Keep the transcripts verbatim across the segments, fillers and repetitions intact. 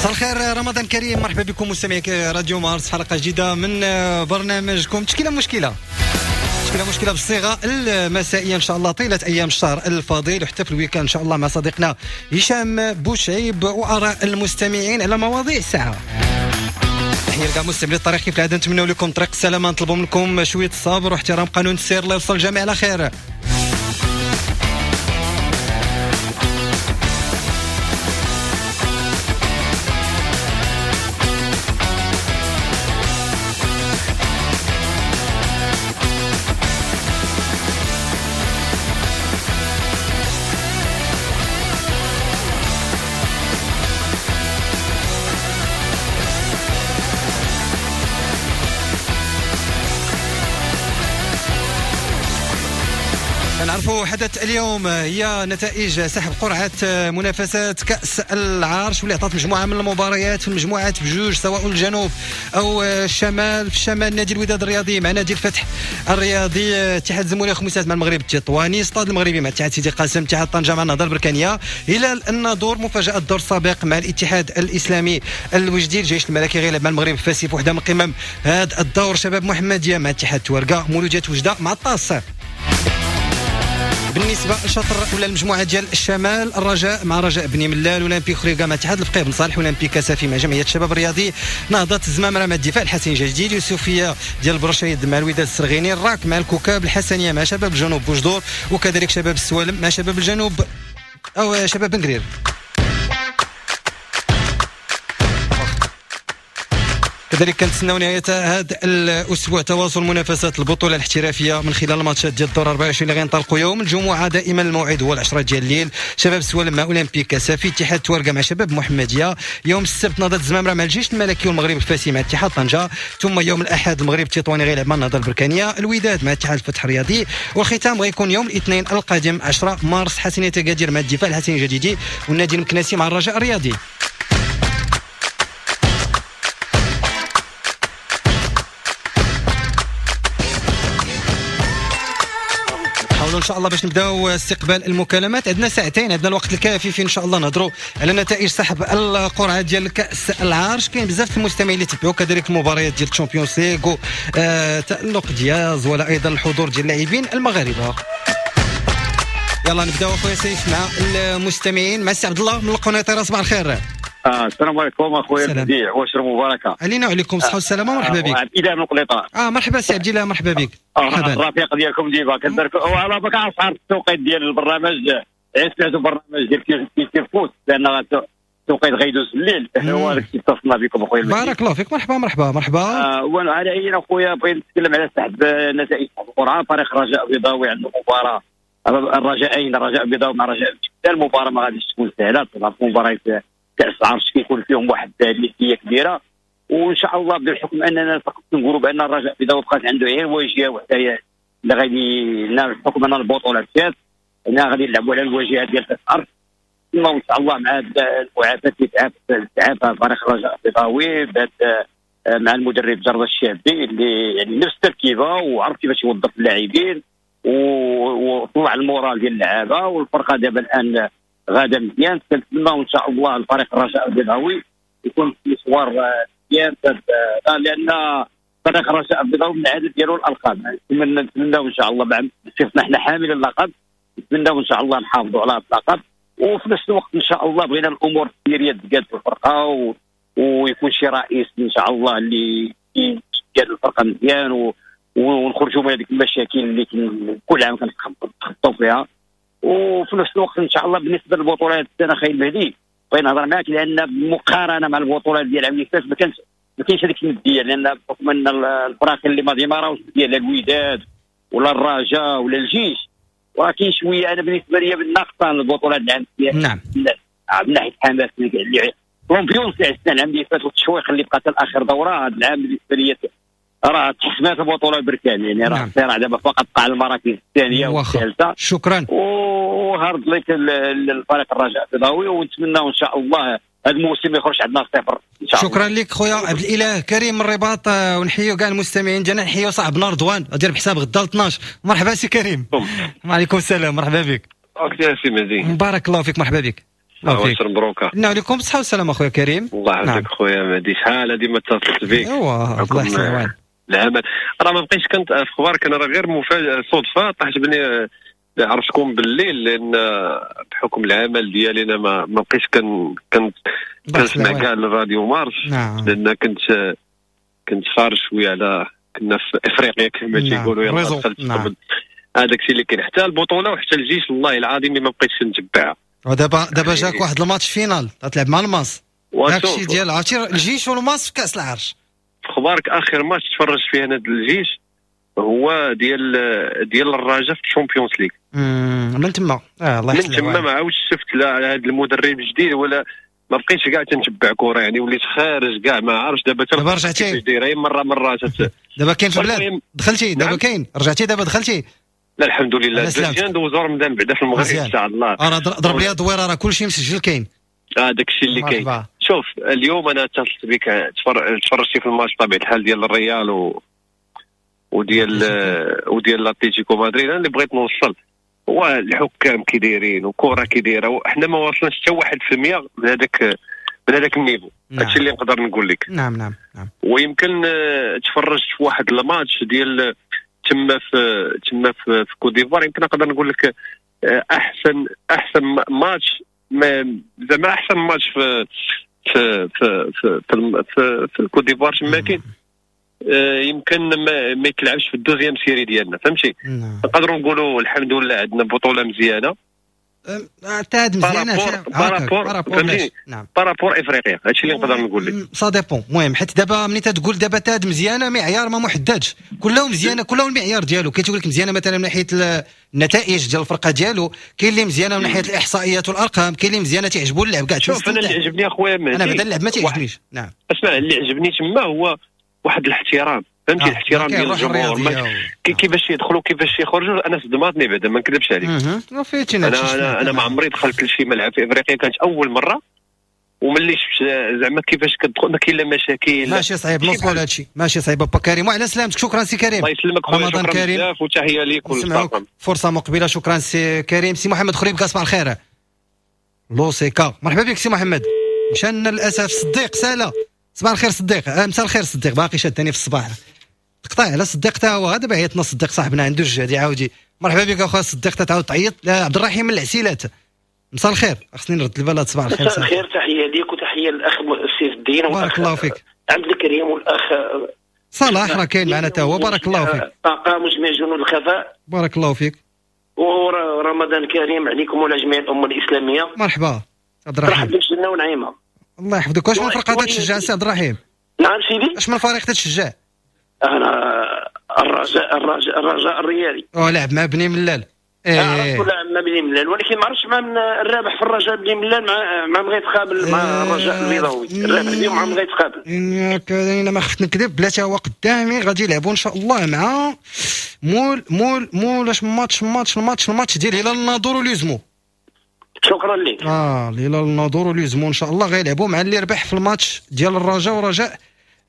مساء الخير، رمضان كريم، مرحبا بكم مستمعي راديو مارس، حلقة جديدة من برنامجكم تشكيله مشكلة. تشكيله مشكلة بالصيغه المسائيه ان شاء الله طيلة ايام الشهر الفضيل وحتى في ال week-end ان شاء الله مع صديقنا هشام بوشعيب واراء المستمعين على مواضيع الساعة. تحية لكاع مستمعي الطريق، كيف العادة نتمنوا لكم طريق السلامة، نطلبوا منكم شوية الصبر واحترام قانون السير، الله يوصل الجميع على خير. نعرفوا حدث اليوم هي نتائج سحب قرعة منافسات كأس العرش واللي عطات مجموعة من المباريات في المجموعات بجوج سواء الجنوب أو الشمال. في الشمال نادي الوداد الرياضي مع نادي الفتح الرياضي، اتحاد زموري خميسات مع المغرب التطواني، استاد المغربي مع اتحاد سيدي قاسم، اتحاد طنجة مع النهضة البركانية، هلال الناظور مفاجأة الدور السابق مع الاتحاد الإسلامي الوجدي، الجيش الملكي غيلعب مع المغرب الفاسي في وحدة من قمم هذا الدور، شباب محمدية مع اتحاد تورقة، مولودية وجدة مع الطاس. بالنسبة لشطر ولا المجموعة ديال الشمال، الرجاء مع رجاء بني ملال، اولمبي خريقه مع اتحاد الفقيه بن صالح، اولمبي كسافي مع جمعية الشباب الرياضي، نهضة الزمامره مع الدفاع الحسني الجديد، يوسفيه ديال برشيد مع الوداد السرغيني، الراك مع الكوكاب، الحسنيه مع شباب الجنوب بوجدور، وكذلك شباب السوالم مع شباب الجنوب او شباب بنكرير. كذلك كنتسناو نهاية هذا الاسبوع تواصل منافسات البطولة الاحترافية من خلال الماتشات ديال الدور أربعة وعشرين اللي غينطلقوا يوم الجمعة، دائما الموعد هو العشرة ديال الليل، شباب السوالم مع اولمبيك كسافي، اتحاد تورقه مع شباب محمديه، يوم السبت نهضة الزمامره مع الجيش الملكي والمغرب الفاسي مع اتحاد طنجه، ثم يوم الاحد المغرب التطواني غيلعب مع النهضة البركانيه، الوداد مع اتحاد الفتح الرياضي، والختام غيكون يوم الاثنين القادم عشرة مارس حسنيه تقادير مع الدفاع الحسني الجديدي والنادي المكناسي مع الرجاء الرياضي. ان شاء الله باش نبداو استقبال المكالمات، عندنا ساعتين، عندنا الوقت الكافي في ان شاء الله نهضروا على نتائج سحب القرعة ديال كاس العرش. كاين بزاف المستمعين اللي تبعوا كذلك المباريات ديال ال Champions League، آه تالق دياز ولا ايضا الحضور ديال اللاعبين المغاربة. يلا نبداو اخويا سيف مع المستمعين، مع السي عبد الله من القنيطره. صباح الخير. آه السلام عليكم اخويا بديع، وشر مباركة علينا وعليكم الصحة والسلامة، مرحبا بك. عبد الاله من القنيطره. اه مرحبا سي عبد الاله، مرحبا بك. مرحبا. الرفيق ديالكم ديما كندير وعلى بالك عارف التوقيت ديال البرنامج، سمعتوا برنامج ديال كيف فوت لان التوقيت غيدوز الليل، هو هذاك الشيء اتصلنا بكم اخويا. بارك الله فيك، مرحبا مرحبا مرحبا. آه وانا على اي اخويا بغيت نتكلم على سحب نتائج القرعة. فريق الرجاء البيضاوي عنده مباراة، الرجاءين الرجاء البيضاوي مع الرجاء، المباراة ما غاديش تكون سهلة طبعا، مباراة كاس العرش كيكون فيهم واحد الندية كبيرة، وان شاء الله بالحكم اننا نقولوا بان الرجاء البيضاوي بقات عنده غير واجهه وحده اللي غادي بحكم ان البطولة مشات انها غادي نلعبوا على الواجهة ديال كاس العرش. ثم ان شاء الله مع المعافاه اللي تعافى فريق الرجاء البيضاوي مع المدرب جرد الشابي اللي يعني نفس التركيبة وعرف كيفاش يوظف اللاعبين وطلع ال moral ديال اللعابه، والفرقة دابا الان غادا مزيان. كنتمنى ان شاء الله الفريق الرجاء البيضاوي يكون في مشوار مزيان، لان فريق الرجاء البيضاوي من العادة ديالو الالقاب. نتمنى نتمناو ان شاء الله مع شفنا حنا حامل اللقب، نتمناو ان شاء الله نحافظوا على هذا اللقب، وفي نفس الوقت ان شاء الله بغينا الامور السيريه تقاد في الفرقة و... ويكون شي رئيس ان شاء الله اللي يقاد الفرقة مزيان و... ونخرجوا من هذيك المشاكل اللي كل عام كنتخطوا فيها. وفي نفس الوقت ان شاء الله بالنسبة للبطولات السنة خاي المهدي بغيت نهضر معاك، لان بالمقارنة مع البطولات ديال العام اللي فات ما كانش ما كاينش هذيك الندية، لان بحكم ان الفرق اللي ما ديماراوش ديال الوداد ولا الرجاء ولا الجيش، ولكن شوية انا بالنسبة لي بالناقصه البطولات العام. نعم من ناحية الحماس اللي l'ambiance تاع السنة العام اللي فات والتشويق اللي بقى حتى لاخر دوره، هذا العام بالنسبة لي راه تحسمات البطولة البركان، يعني راه الصراع دابا فقط على المراكز الثانية والثالثة. شكرا و hard luck للفريق الرجاء البيضاوي، ونتمنى ان شاء الله هذا الموسم يخرج عندنا صفر ان شاء الله. شكرا لك خويا عبد الاله كريم من الرباط، ونحيو كاع المستمعين ديالنا، نحيو صاحبنا رضوان دير بحساب غدا اثناش. مرحبا سي كريم. وعليكم السلام، مرحبا بك. OK سي مهدي، بارك الله فيك، مرحبا بك. الله فيك. مبروكه. نعم عليكم بالصحة والسلامة اخويا كريم. الله يحفظك. نعم. خويا مهدي، شحال هادي ما اتصلت بك. ايوا الله يحسن العمل. راه ما بقيتش كنت في اخبارك، انا راه غير مفاجاة صدفة طاحت بني عرفتكم بالليل، لان بحكم العمل ديالي انا ما ما بقيتش كن كنت كنسمع كاع الراديو مارس. نعم. لان كنت كنت خارج شوية على كنا في افريقيا كما تيقولوا. يلاه دخلت. نعم. هذاك الشيء اللي كاين حتى البطولة وحتى الجيش والله العظيم اللي ما بقيتش نتبعها. ودابا دابا جاك واحد ال match finale تلعب مع الماس، داكشي ديال عرفتي الجيش والماس في كاس العرش. في اخبارك اخر ماتش تفرجت فيه انا الجيش هو ديال ديال الرجاء في ال Champions League. من تما اه الله يحسن. من تما ما عاودش شفت لا هذا المدرب الجديد ولا ما بقيتش كاع تنتبع كره، يعني وليت خارج كاع ما عارفش. دابا دابا رجعتي دايرة مرة مرة تت... دابا كاين في البلاد دخلتي دابا. نعم. كاين رجعتي دابا دخلتي. لا الحمد لله مزيان، دوزو رمضان بعدا في المغرب ان شاء الله. راه ضرب لي دويره راه كلشي مسجل كاين. اه داك الشيء اللي كاين. شوف اليوم انا اتصلت بك تفرجتي في الماتش بطبيعة الحال ديال الريال و وديال وديال لاتليتيكو مدريد. انا اللي بغيت نوصل هو الحكام كي دايرين وكره كي دايرة، وحنا ما واصلناش حتى واحد في المية من هذاك من هذاك ال niveau. نعم. هادشي اللي نقدر نقول لك. نعم نعم نعم. ويمكن تفرجت في واحد الماتش ديال تما في تما في, في كوت ديفوار، يمكن نقدر نقول لك احسن احسن ماتش، زعما احسن ماتش في في في في في, في, في الكوت ديفوار تما كاين، يمكن ما, ما يتلعبش في ال deuxième série ديالنا، فهمتي؟ نقدروا نقولوا الحمد لله عندنا بطوله مزيانه. حتى هاد مزيانه par rapport فهمتي، par rapport افريقيا. هادشي اللي نقدر نقول لك. ça dépend. المهم حيت دابا ملي تقول دابا تاد مزيانه معيار ما محددش، كلهم مزيانه، كلهم المعيار ديالو. كاين تيقول لك مزيانه مثلا من ناحية النتائج ديال الفرقة ديالو، كاين اللي مزيانه من ناحية الاحصائيات والارقام، كاين اللي مزيانه تيعجبو اللعب كاع. شوف انا اللي عجبني اخويا مهدي، انا بعدا اللعب ما تيعجبنيش. نعم اسمع، اللي عجبني تما هو واحد الاحترام، فهمتي؟ آه. الاحترام ديال الجمهور، كيفاش يدخلوا كيفاش يخرجوا. انا صدماتني بعدا ما نكذبش عليك. انا انا, أنا ما عمري دخلت لشي ملعب في افريقيا، كانت اول مرة، وملي شفت زعما كيفاش كتدخل ما كاين لا مشاكل. ماشي صعيب نوصلوا لهذا الشيء، ماشي صعيب. با كريم وعلى سلامتك. شكرا سي كريم، الله يسلمك خويا، شكرا بزاف وتحية ليك وللطاقم. فرصة مقبله. شكرا سي كريم. سي محمد خريب صباح الخير. لوسيكا مرحبا بك سي محمد. مشانا للاسف صديق سالا. صباح الخير صديق. آه مساء الخير صديق، باقي شادني في الصباح. تقطع على صديق تا هو، دابا عيطنا صديق صاحبنا عنده الجهد يعاودي. مرحبا بك اخويا صديق، تعاود تعيط. لا عبد الرحيم من العسيلات، مساء الخير. خصني نرد البال. صباح الخير. مساء الخير، تحية ليك وتحية للاخ سيف الدين، بارك الله فيك، عبد الكريم والاخ صلاح راه كاين معنا تا هو، بارك الله فيك. طاقم وجميع جنود الخفاء، بارك الله فيك، ورمضان كريم عليكم وعلى جميع الامة الاسلامية. مرحبا عبد الرحيم، مرحبا بالجنة ونعيمه. الله يحفظك. واش من فرقه تشجع سي عبد الرحيم؟ نعم سيدي، اش من فريق تشجع؟ انا الرجاء، الرجاء الرجاء الريالي. او لعب مع بني ملال. ايه لعب مع بني ملال، ولكن ما عرفتش مع من الرابح في الرجاء بني ملال مع مع من غيتقابل مع الرجاء البيضاوي. الرابح اليوم مع من غيتقابل. انا ما خفت نكذب، بلاتي هو قدامي غادي يلعبوا ان شاء الله مع مول مول مول اش ماتش ماتش الماتش الماتش ديال هلال الناظور وليزمو. شكرا لك. اه هلال الناظور وليزمو ان شاء الله غيلعبوا مع اللي ربح في الماتش ديال الرجاء ورجاء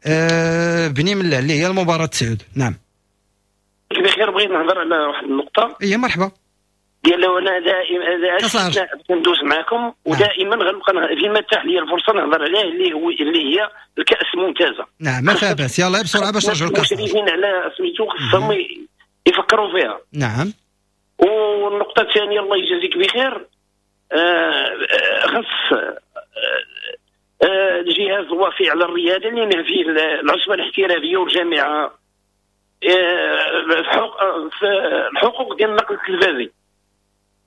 آه بني ملال اللي هي المباراة تسعود. نعم بخير. بغيت نهضر على واحد النقطة. اي مرحبا. ديال انا دائما كندوز معكم ودائما غنبقى فيما تاح لي الفرصة نهضر عليه اللي هو اللي هي الكأس الممتازة. نعم ما فيها باس، يلاه بسرعة باش نرجعوا للكأس. المشرفين على سميتو خصهم يفكروا فيها. نعم. والنقطة الثانية الله يجازيك بخير، آه خص آه الجهاز الوصي على الرياضة اللي فيه العصبة الاحترافية والجامعة آه في الحقوق ديال النقل التلفزي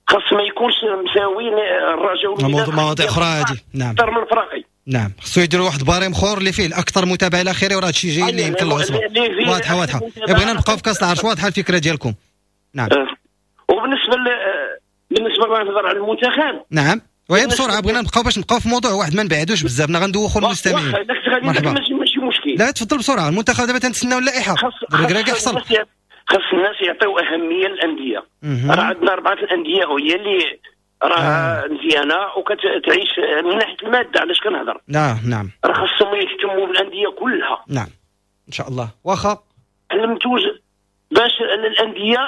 خاص ما يكونش مساويين الرجاء والوداد. مواضيع اخرى هذه. نعم اكثر من الفراقي. نعم خصو يديروا واحد barème اخر اللي فيه الاكثر متابعه الى اخره، وراه هادشي جاي اللي يمكن العصبة. واضحة واضحة. بغينا نبقاو في كاس العرش، واضحة الفكرة ديالكم. نعم. وبالنسبة ل... بالنسبة لنهضر على المنتخب. نعم وهي بسرعة، بغينا نبقاو باش نبقاو في موضوع واحد ما نبعدوش بزاف، غندوخوا المستمعين. مرحبا. ماشي مشكل. لا تفضل بسرعة. المنتخب دابا تنتسناو اللائحة. الركراكي حصل. خاص الناس يعطيو اهمية للاندية. راه عندنا اربعة الاندية هي اللي راه آه. مزيانه وكتعيش من ناحية المادة. علاش كنهضر؟ نعم نعم. راه خاصهم يهتموا بالاندية كلها. نعم ان شاء الله. واخا المنتوج باش الاندية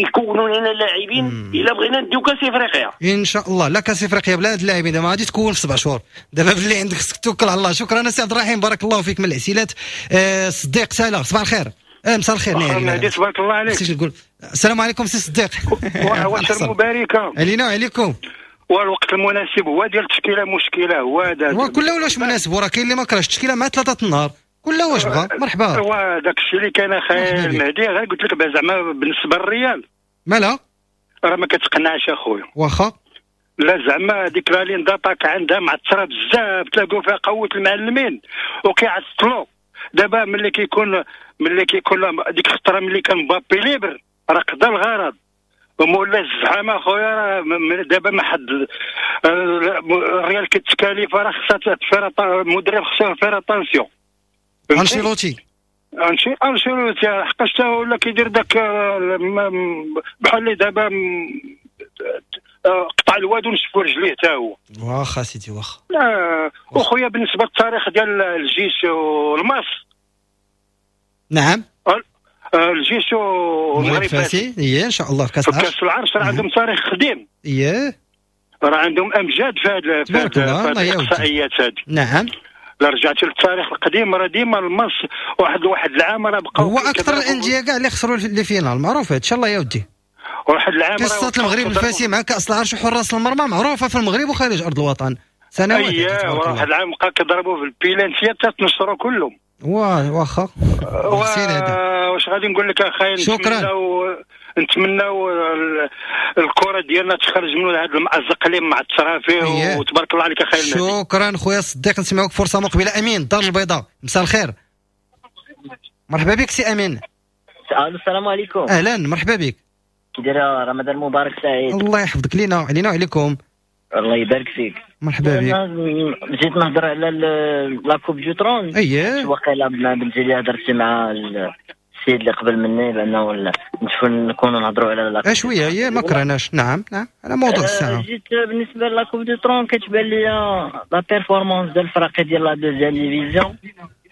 يكونوا لنا لاعبين الا بغينا نديو كاس افريقيا ان شاء الله. لا كاس افريقيا بلا هاد اللاعبين دابا غادي تكون في سبع شهور دابا، باللي عندك خصك توكل على الله. شكرا سي عبد الرحيم، بارك الله فيك من العسيلات. آه صديق سالا، صباح الخير. آه مساء الخير مهدي، تبارك الله عليك. نقول السلام عليكم سي صديق. وعواشر مباركة علينا وعليكم. والوقت المناسب هو ديال التشكيلة، مشكلة هو هذا كل واش مناسب، وراه كاين اللي ما كرهش التشكيلة مع ثلاثة النهار، كل واش بغا. مرحبا. هو داك الشيء اللي كان اخي المهدي، غير قلت لك زعما بالنسبة للريال مالها راه ما كتقنعش اخويا. واخا لا زعما ديك la ligne d'attaque عندها معثره بزاف، تلاقوا فيها قوة المعلمين وكيعطلوا. دابا ملي كيكون ملي كيكون ديك الخطرة ملي كان مبابي libre راه قضى الغرض، ومولا الزحامه اخويا راه دابا ما حد الريال كتكاليف، راه خصها faire المدرب خصو faire attention. انشيلوتي انشي انشيلوتي حقاش تا ولا كيدير داك بحال اللي دابا قطع الواد ونشفوا رجليه تا هو. واخا سيدي واخا. لا وخويا بالنسبة للتاريخ ديال الجيش والماس. نعم الجيش والمغرب الفاسي ايه ان شاء الله في كاس العرش. كاس العرش راه عندهم تاريخ قديم. ايه راه عندهم امجاد في هاد في هاد الاحصائيات هادي. نعم لا رجعتي للتاريخ القديم راه ديما الماس واحد واحد العام راه بقاو هو اكثر الاندية كاع اللي خسروا les finales، معروف ان شاء الله يا ودي. واحد العام قصة المغرب الفاسي مع كاس العرش وحراس المرمى معروفة في المغرب وخارج ارض الوطن سنوات. اييه واحد العام بقى كيضربوا في البيلانتيات حتى تنشروا كلهم. واه واخا واش غادي نقول لك اخاي، شكرا. نتمناو الكره ديالنا تخرج من هذا المأزق اللي معثره فيه، وتبارك الله عليك اخاي المهدي. شكرا خويا صديق، نسمعوك فرصة مقبله. امين الدار البيضاء، مساء الخير. مرحبا بك سي امين. السلام عليكم. اهلا مرحبا بك. كي داير؟ رمضان مبارك سعيد. الله يحفظك لينا علينا وعليكم. الله يبارك فيك. مرحبا بك. جيت نهضر على la Coupe du Trône. اييه وقيلا بنتي لي هضرتي مع السيد اللي قبل مني بانه نكونوا نهضروا على la شوية. هي ما كرهناش. نعم نعم على موضوع الساعة. جيت بالنسبة la Coupe du Trône كتبان لي la performance ديال الفرق ديال la deuxième division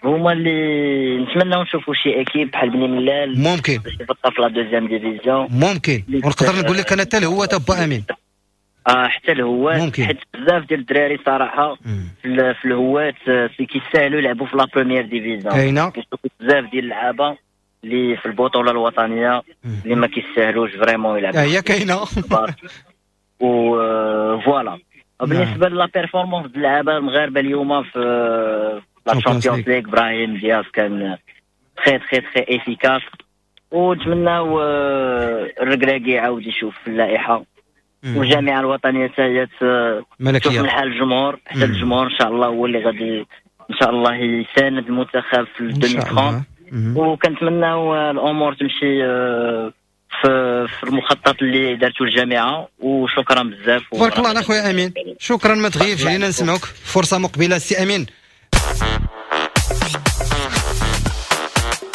هما اللي نتمناو نشوفوا شي équipe بحال بني ملال ممكن باش يبقى في la deuxième division ممكن. ونقدر نقول لك انا حتى هو تبا امين اه حتى الهوات، حيت بزاف ديال الدراري صراحة في, في الهوات في كيساهلوا يلعبوا في la première division. كاينه كنشوفوا بزاف ديال اللعابه اللي في البطولة الوطنية اللي ما كيساهلوش vraiment يلعبوا. هي كاينه و voilà. بالنسبة la performance ديال اللعابه المغاربة اليوم في la Champions League، ابراهيم دياز كان très très très efficace، ونتمناو الركراكي يعاود يشوف في اللائحة، والجامعة الوطنية حتى هي تشوف من حال الجمهور، حتى الجمهور ان شاء الله هو اللي غادي ان شاء الله يساند المنتخب في ألفين وثلاثين. وكنتمناو الامور تمشي في في المخطط اللي دارته الجامعة. وشكرا بزاف. تبارك الله على خويا امين، شكرا ما تغيبش علينا، نسمعوك فرصة مقبله سي امين.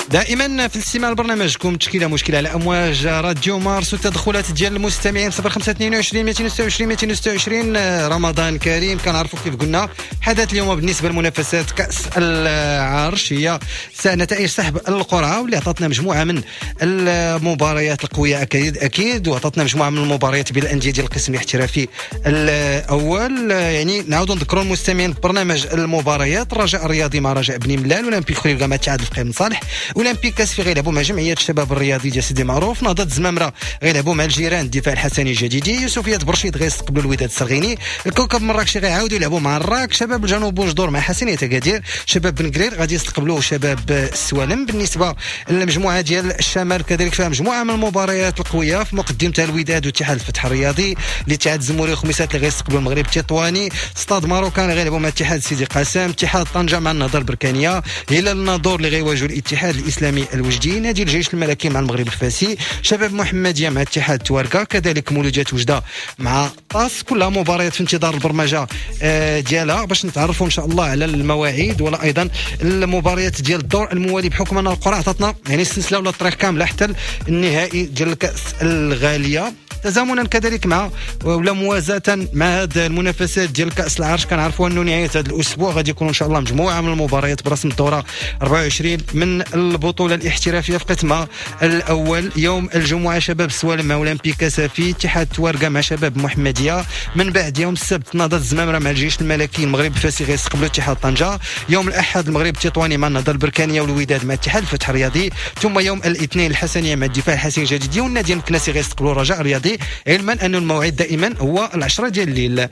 دائما في الاستماع لبرنامجكم تشكيله مشكلة على امواج راديو مارس والتدخلات ديال المستمعين صفر خمسة اثنين وعشرين مئتين وستة وعشرين مئتين وستة وعشرين. رمضان كريم. كنعرفوا كيف قلنا حدث اليوم بالنسبة لمنافسات كاس العرش هي نتائج سحب القرعة، واللي عطاتنا مجموعة من المباريات القوية اكيد اكيد، وعطاتنا مجموعة من المباريات بين الاندية ديال القسم الاحترافي الاول. يعني نعاودوا نذكروا المستمعين برنامج المباريات: الرجاء الرياضي مع رجاء بني ملال، اولمبيك خريبكة مع اتحاد الفقيه بن صالح، اولمبيك كاسفي غيلعبوا مع جمعية الشباب الرياضي ديال سيدي معروف، نهضة الزمامره غيلعبوا مع الجيران الدفاع الحسني الجديدي، يوسفيه برشيد غيستقبلوا الوداد السرغيني، الكوكب مراكشي غيعاودوا يلعبوا مع الراك، شباب الجنوب بوجدور مع حسنيه اكادير، شباب بن قرير غادي يستقبلوا شباب السوالم. بالنسبة للمجموعة ديال الشمال كذلك فيها مجموعة من المباريات القوية في مقدمتها الوداد واتحاد الفتح الرياضي، الاتحاد الزموري وخميسات اللي غيستقبلوا المغرب التطواني، ستاد ماروكان غيلعبوا مع اتحاد سيدي قاسم، اتحاد طنجه مع النهضة البركانيه، هلال الناظور اللي غيواجهوا الاتحاد الاسلامي الوجدي، نادي الجيش الملكي مع المغرب الفاسي، شباب محمديه مع اتحاد تواركا، كذلك مولوديات وجده مع طاس. كلها مباريات في انتظار البرمجة ديالها باش نتعرفوا ان شاء الله على المواعيد ولا ايضا المباريات ديال الدور الموالي، بحكم ان القرعة عطاتنا يعني السلسلة ولا الطريق كاملة حتى النهائي ديال الكاس الغالية. تزامنا كذلك مع ولا موازاه مع هذه المنافسات ديال كاس العرش. كنعرفوا انه نهاية هذا الاسبوع غادي يكون ان شاء الله مجموعة من المباريات برسم الدورة أربعة وعشرين من البطولة الاحترافية في قسمها الاول. يوم الجمعة شباب السوالم مع اولمبيك كاسافي، اتحاد توارقه مع شباب محمديه. من بعد يوم السبت نهضة الزمامره مع الجيش الملكي، المغرب الفاسي غيستقبلوا اتحاد طنجه. يوم الاحد المغرب التطواني مع النهضة البركانيه والوداد مع اتحاد الفتح الرياضي. ثم يوم الاثنين الحسنيه مع الدفاع الحسين الجديدي، والنادي المكناسي غيستقبلوا الرجاء الرياضي، علما ان الموعد دائما هو العشرة ديال الليل.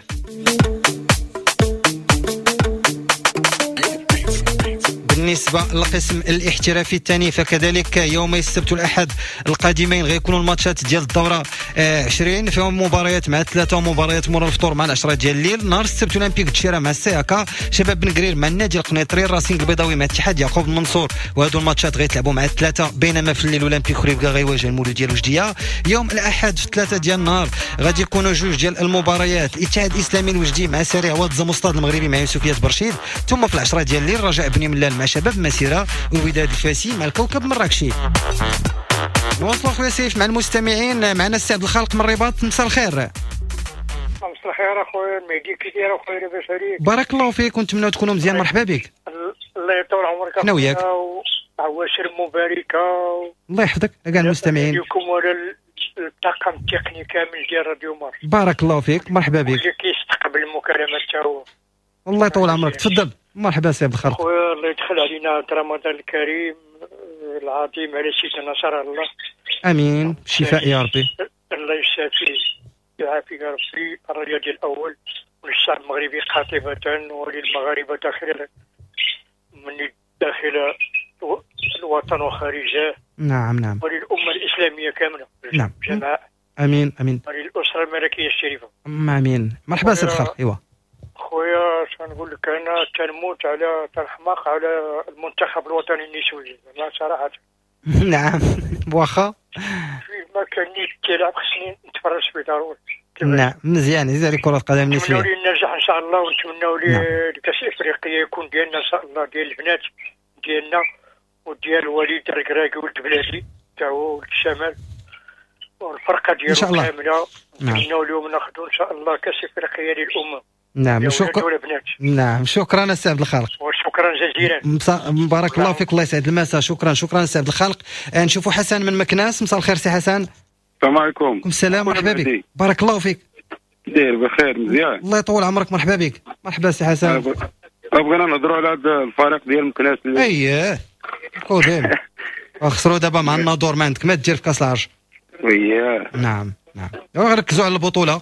بالنسبة للقسم الاحترافي الثاني فكذلك يومي السبت والأحد القادمين غيكونوا الماتشات ديال الدورة عشرين، فيهم مباريات مع ثلاثة ومباريات مورا الفطور مع العشرة ديال الليل. نهار السبت اولمبيك الدشيرة مع السياكا، شباب بن قرير مع النادي القنيطري، الراسينغ البيضاوي مع اتحاد يعقوب المنصور، وهادو الماتشات غيتلعبوا مع الثلاثة. بينما في الليل اولمبيك خريبكا غيواجه المولودية الوجدية. يوم الأحد في ثلاثة ديال النهار غادي يكونوا جوج ديال المباريات، الاتحاد الإسلامي الوجدي مع سريع واد زمستاد المغربي مع يوسفية برشيد. ثم في العشرة ديال الليل رجاء بني ملال مع شباب مسيرة، ووداد الفاسي مع الكوكب مراكشي. نواصلوا خويا سيف مع المستمعين. معنا السي عبد الخالق من الرباط. مساء الخير. مساء الخير اخويا المهدي، كي داير اخويا؟ لاباس عليك؟ بارك الله فيك ونتمنى تكونوا مزيان. مرحبا بك. الله يطول عمرك. حنا وياك. عواشر مباركة. الله يحفظك كاع المستمعين. لكم ولا الطاقم التقني كامل ديال راديو مارس. بارك الله فيك، مرحبا بك. اللي كيستقبل المكالمات تاعو. الله يطول عمرك، تفضل. مرحبا سي عبد الخالق. خويا الله يدخل علينا رمضان الكريم العظيم على سيدنا نصر الله. امين، شفاء يا ربي. الله يشافي يعافيك يا ربي. الرياضي الاول وللشعب المغربي قاطبة وللمغاربة داخل من داخل الوطن وخارجه. نعم نعم. وللأمة الإسلامية كاملة. نعم. جماعة. امين امين. وللأسرة الملكية الشريفة. امين. مرحبا سي الخالق. ايوا خويا شنقول لك، انا تنموت على تنحماق على المنتخب الوطني النسوي لا صراحة. نعم واخا ما كان كيلعب خصني نتفرج فيه ضروري. نعم مزيان، عزيز عليك كره القدم النسوية. نتمنوا ليه النجاح ان شاء الله، ونتمنوا ليه الكاس الافريقية يكون ديالنا ان شاء الله، ديال البنات ديالنا وديال الوليد الركراكي ولد بلادي تا هو ولد الشمال والفرقة ديالو كاملة. نتمنوا لهم ناخذوا ان شاء الله كاس افريقية للامة. نعم شكرا. نعم شكرا السي عبد الخالق. وشكرا جزيلا. بارك الله فيك، الله يسعد المساء. شكرا شكرا السي عبد الخالق. نشوفوا حسن من مكناس. مساء الخير سي حسن. السلام عليكم. السلام، مرحبا بك. بارك الله فيك. داير بخير مزيان. الله يطول عمرك، مرحبا بك. مرحبا سي حسن. بغينا نهضروا على هذا الفريق ديال مكناس. اييه كوديم خسروا دابا مع الناظور، ما عندك ما دير في كاس العرش. وياه. نعم نعم، ركزوا على البطولة،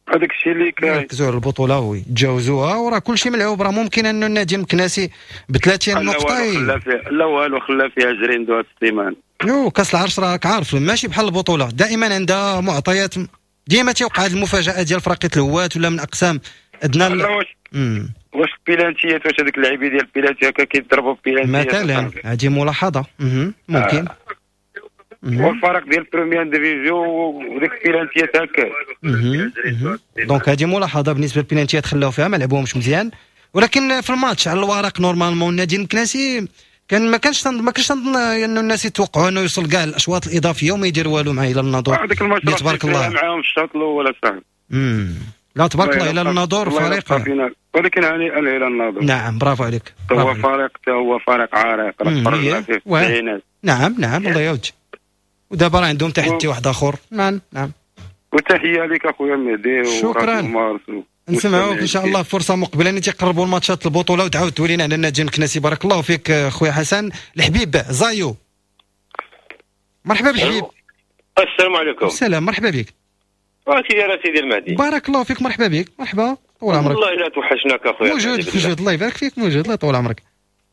هذاك الشيء اللي كاين، ركزوا على البطولة ويتجاوزوها، وراه كلشي ملعوب. راه ممكن انه النادي المكناسي ب ثلاثين نقطة لا فيها لا والو، خلا فيها عشرين دو السيمان. يو كاس العرش راك عارف ماشي بحال البطولة، دائما عندها معطيات، ديما تيوقع هذه المفاجاة ديال فريق الهوات ولا من اقسام ادنى. واش واش البيلانتيات، واش هذوك اللاعبين ديال البيلانتي هكا كيضربوا بيلانتيات مثلا، هذه ملاحظة ممكن. آه. والفرق ديال première division وديك البيلانتيات هكا. donc هذه ملاحظة بالنسبة للبيلانتيات، خلاو فيها ما لعبوهمش مزيان، ولكن في الماتش على الورق normalement النادي المكناسي كان ما كانش ما كانش نظن انه الناس يتوقعوا انه يوصل كاع الاشواط الاضافية وما يدير والو مع هلال الناظور. هذاك الماتش تبارك الله معاهم الشوط الاول صاحبي. امم لا تبارك الله هلال الناظور فريق، ولكن هنيئا لهلال الناظور. نعم برافو عليك. هو فريق هو فريق عريق، راه فيه التسعينات. نعم نعم الله يعاود. ودابا راه عندهم تحدي واحد اخر. نعم نعم. وتحية لك اخويا مهدي. شكرا. نسمعوك ان شاء الله فرصة مقبله ان تيقربوا الماتشات البطولة وتعاود تولينا على النادي المكناسي. بارك الله فيك خويا حسن. الحبيب زايو، مرحبا بالحبيب. السلام عليكم. السلام، مرحبا بك. سيدي سيدي المهدي، بارك الله فيك، مرحبا بك. مرحبا، طول عمرك. والله الا توحشناك اخويا. موجود موجود، الله يبارك فيك، موجود، الله يطول عمرك.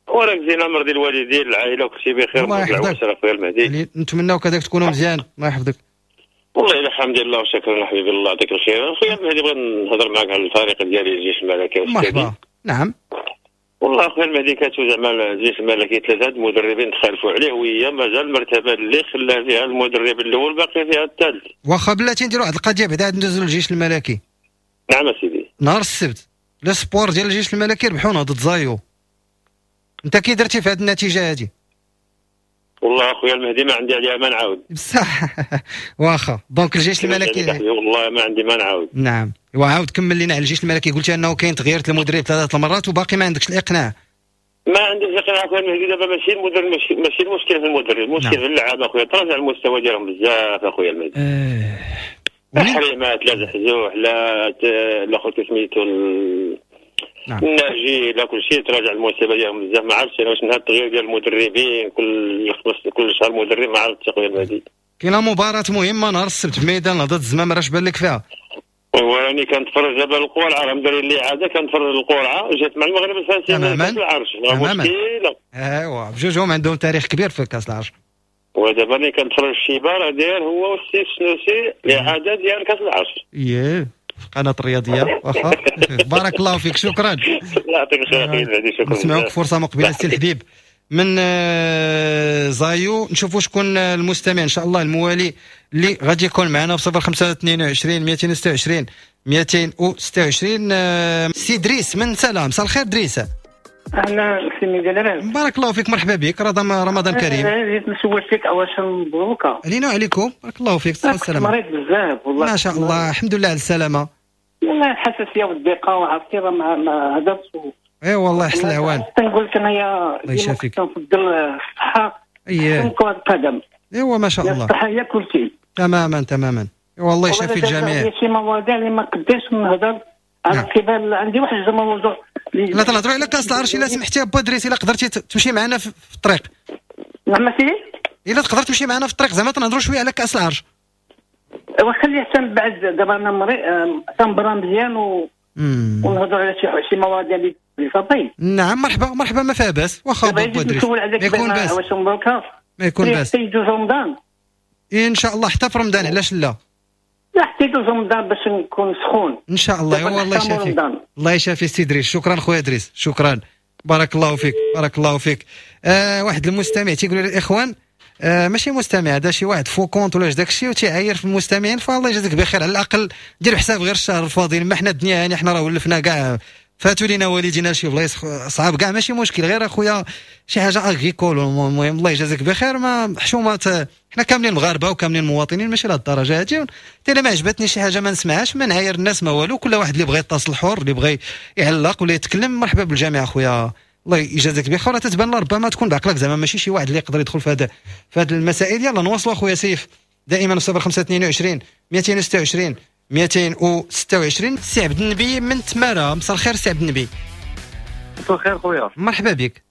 وراك زين امر ديال الوالدين العائلة وكلشي بخير. الله يحفظك اخويا المهدي، نتمناو كذلك تكونوا مزيان. الله يحفظك. والله الا الحمد لله وشكرا حبيبي، الله يعطيك الخير. اخويا المهدي بغيت نهضر معك على الفريق ديالي الجيش الملكي. مرحبا. نعم والله اخويا المهدي كاتو زعما الجيش الملكي ثلاثة المدربين تخالفوا عليه، وهي مازال المرتبة اللي خلا فيها المدرب الاول باقي فيها الثالث. واخا بلاتي نديروا واحد القضية بعدا ندوزو للجيش الملكي. نعم سيدي. نهار السبت les espoirs ديال الجيش الملكي ربحونا ضد زايو. انت كي درتي في هذه النتيجة هذه؟ والله اخويا المهدي ما عندي عليها ما نعاود. بصح واخا donc الجيش الملكي والله ما عندي ما نعاود. نعم وعاود كمل لنا على الجيش الملكي، قلت انه كاين تغيير المدرب ثلاث المرات وباقي ما عندكش الاقناع. ما عنديش الاقناع اخويا المهدي، دابا ماشي المدرب، ماشي ماشي المشكل في المدرب، المشكل في اللعابه اخويا، تراجع المستوى ديالهم بزاف اخويا المهدي. اه حريمات لا زحزوح لا الاخر سميتو نعم. الناجي لا كل شيء تراجع المستوى ديالهم بزاف. ما عرفتش انا واش من هذا التغيير ديال المدربين كل كل شهر مدرب، ما عرفتش اخويا المهدي. كاينه مباراة مهمة نهار السبت في ميدان نهضة الزمام، راش بان لك فيها؟ وراني كنتفرج دابا القرعة، راه مدير اللي عادة كنتفرج القرعة جات مع المغرب الفاسي تماما كاس العرش، مشكلة. ايوا بجوجهم عندهم تاريخ كبير في كاس العرش. ودابا ملي كنتفرج الشيبة راه داير هو والسي السنوسي الاعادة ديال كاس العرش. اييه في القناة الرياضية. واخا بارك الله فيك، شكرا. الله يعطيك الخير اخي المهدي، شكرا. نسمعوك فرصة مقبله السي الحبيب من زايو. نشوفوا شكون المستمع ان شاء الله الموالي اللي غادي يكون معنا في صفر خمسة اثنين وعشرين مئتين وستة وعشرين مئتين وستة وعشرين. سي دريس من سلام، مساء الخير دريس. اهلا سي ميدان، بارك الله فيك، مرحبا بك، رمضان كريم. جيت نسول فيك اول شيء مبروك علينا وعليكم، بارك الله فيك، الصحة والسلامة. مريض بزاف والله. ما شاء الله، الحمد لله على السلامة. والله الحساسية والضيقه وعرفتي راه ما هدرت. اي والله يحسن العوان. تنقول لك انايا الله يشافيك، كنفضل الصحة اييه كرة القدم. ايوا ما شاء الله، الصحة هي كل شيء. تماما تماما، ايوا الله يشافي الجميع. شي مواضيع اللي ما قدرتش نهضر على كيفاش، عندي واحد الموضوع. لا تنهضروا على كاس العرش الا سمحتي با دريس، الا قدرتي تمشي معنا في الطريق. نعم سيدي، الا تقدر تمشي معنا في الطريق زعما تنهضروا شوية على كاس العرش. ايوا خلي حتى من بعد، دابا انا مريض تنبرا مزيان و ونهضروا على شي شي مواضيع اللي صافي. نعم مرحبا مرحبا، ما فيها باس. واخا با دريس ما يكون باس، ما يكون باس حتى يدوز رمضان ان شاء الله، حتى في رمضان علاش لا؟ لا حتى يدوز رمضان باش نكون سخون ان شاء الله. ايوا الله يشافيك، الله يشافي سي دريس. شكرا خويا دريس، شكرا، بارك الله فيك، بارك الله فيك. آه واحد المستمع تيقول للاخوان، آه ماشي مستمع هذا، شي واحد faux compte ولا داك الشيء وتيعاير في المستمعين، فالله يجازيك بخير، على الاقل دير حساب غير الشهر الفاضل، ما حنا الدنيا هاني، حنا راه ولفنا كاع، فاتوا لينا والدينا شي بلايص صعاب كاع، ماشي مشكل، غير اخويا شي حاجة agricole. المهم الله يجازيك بخير، ما حشومات، حنا كاملين مغاربة وكاملين مواطنين، ماشي لهاد الدرجة هادي. حتى الا ما عجبتني شي حاجة ما نسمعهاش، ما نعاير الناس ما والو، كل واحد اللي بغى يتصل حر، اللي بغى يعلق ولا يتكلم مرحبا بالجميع اخويا، الله يجازيك بخير. تتبان ربما تكون بعقلك زعما ماشي شي واحد اللي يقدر يدخل في هذا في هذه المسائل. يلا نواصلوا اخويا سيف دائما صفر خمسة اثنين وعشرين مئتين وستة وعشرين مئتين وستة وعشرين. سي عبد النبي من تمارة، مساء الخير سي عبد النبي. مساء الخير خويا، مرحبا بك.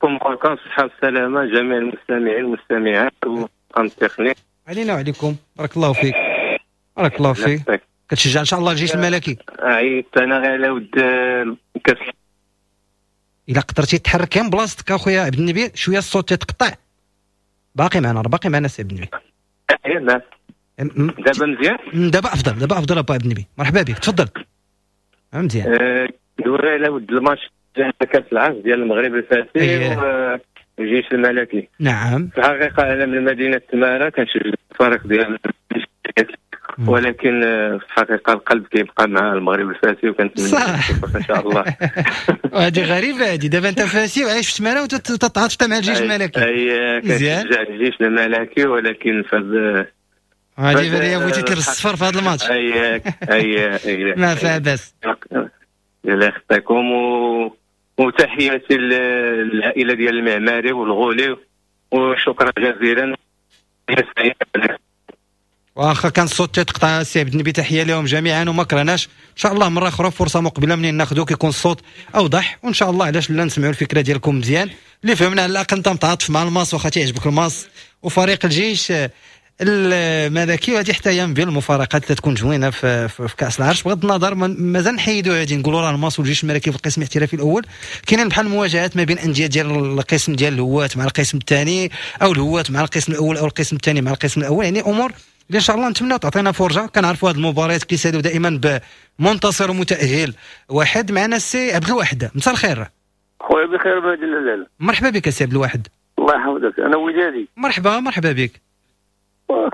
مبروك الصحة والسلامة جميع المستمعين والمستمعات والطاقم التقني. علينا وعليكم، بارك الله فيك، بارك الله فيك. كتشجع ان شاء الله الجيش الملكي؟ عيطت انا غير على ود كاس. الا قدرتي تحرك من بلاصتك اخويا عبد النبي شوية، الصوت تيتقطع. باقي معنا، باقي معنا سي عبد النبي. دابا مزيان؟ دابا افضل، دابا افضل ابا عبد النبي، مرحبا بك، تفضل. مزيان. دوري على ود الماتش ديال كاس العرش ديال المغرب الفاسي والجيش الملكي. نعم. في الحقيقة انا من مدينة تماره، كنشجع الفريق ديال، ولكن في الحقيقة القلب كيبقى مع المغرب الفاسي، وكنتمنى ان شاء الله. وهذه غريبة هذه، دابا انت فاسي وعايش في تماره وتتعاطف مع الجيش الملكي. اي كنشجع الجيش الملكي، ولكن في هذه بالي بغيتي تلبس الصفر في هذا الماتش. اي اي اي ما فيها باس. الله يخطيكم، و... وتحياتي للعائلة ديال المعماري والغولي، وشكرا جزيلا. واخا كان الصوت تيتقطع السي عبد النبي، تحية لهم جميعا وما كرهناش ان شاء الله مرة اخرى فرصة مقبله منين ناخذوك يكون الصوت اوضح، وان شاء الله علاش لا نسمعوا الفكرة ديالكم مزيان اللي فهمنا. على الاقل انت متعاطف مع الماس، واخا تيعجبك الماس وفريق الجيش الملكي، وهذه حتى هي من بين المفارقات اللي تكون زوينة في, في, في كاس العرش. بغض النظر مازال نحيدوا هذه، نقولوا راه الماس والجيش الملكي في القسم الاحترافي الاول، كاينين بحال المواجهات ما بين اندية ديال القسم ديال الهواة مع القسم الثاني، او الهواة مع القسم الاول، او القسم الثاني مع القسم الاول، يعني امور اللي ان شاء الله نتمنى تعطينا فرجه. كنعرفوا هذه المباريات كيسالوا دائما بمنتصر ومتاهل واحد. معنا السي عبد الواحد، مساء الخير خويا. بخير بهذه الليلة. مرحبا بك السي عبد الواحد. الله يحفظك، انا ودادي. مرحبا مرحبا بك.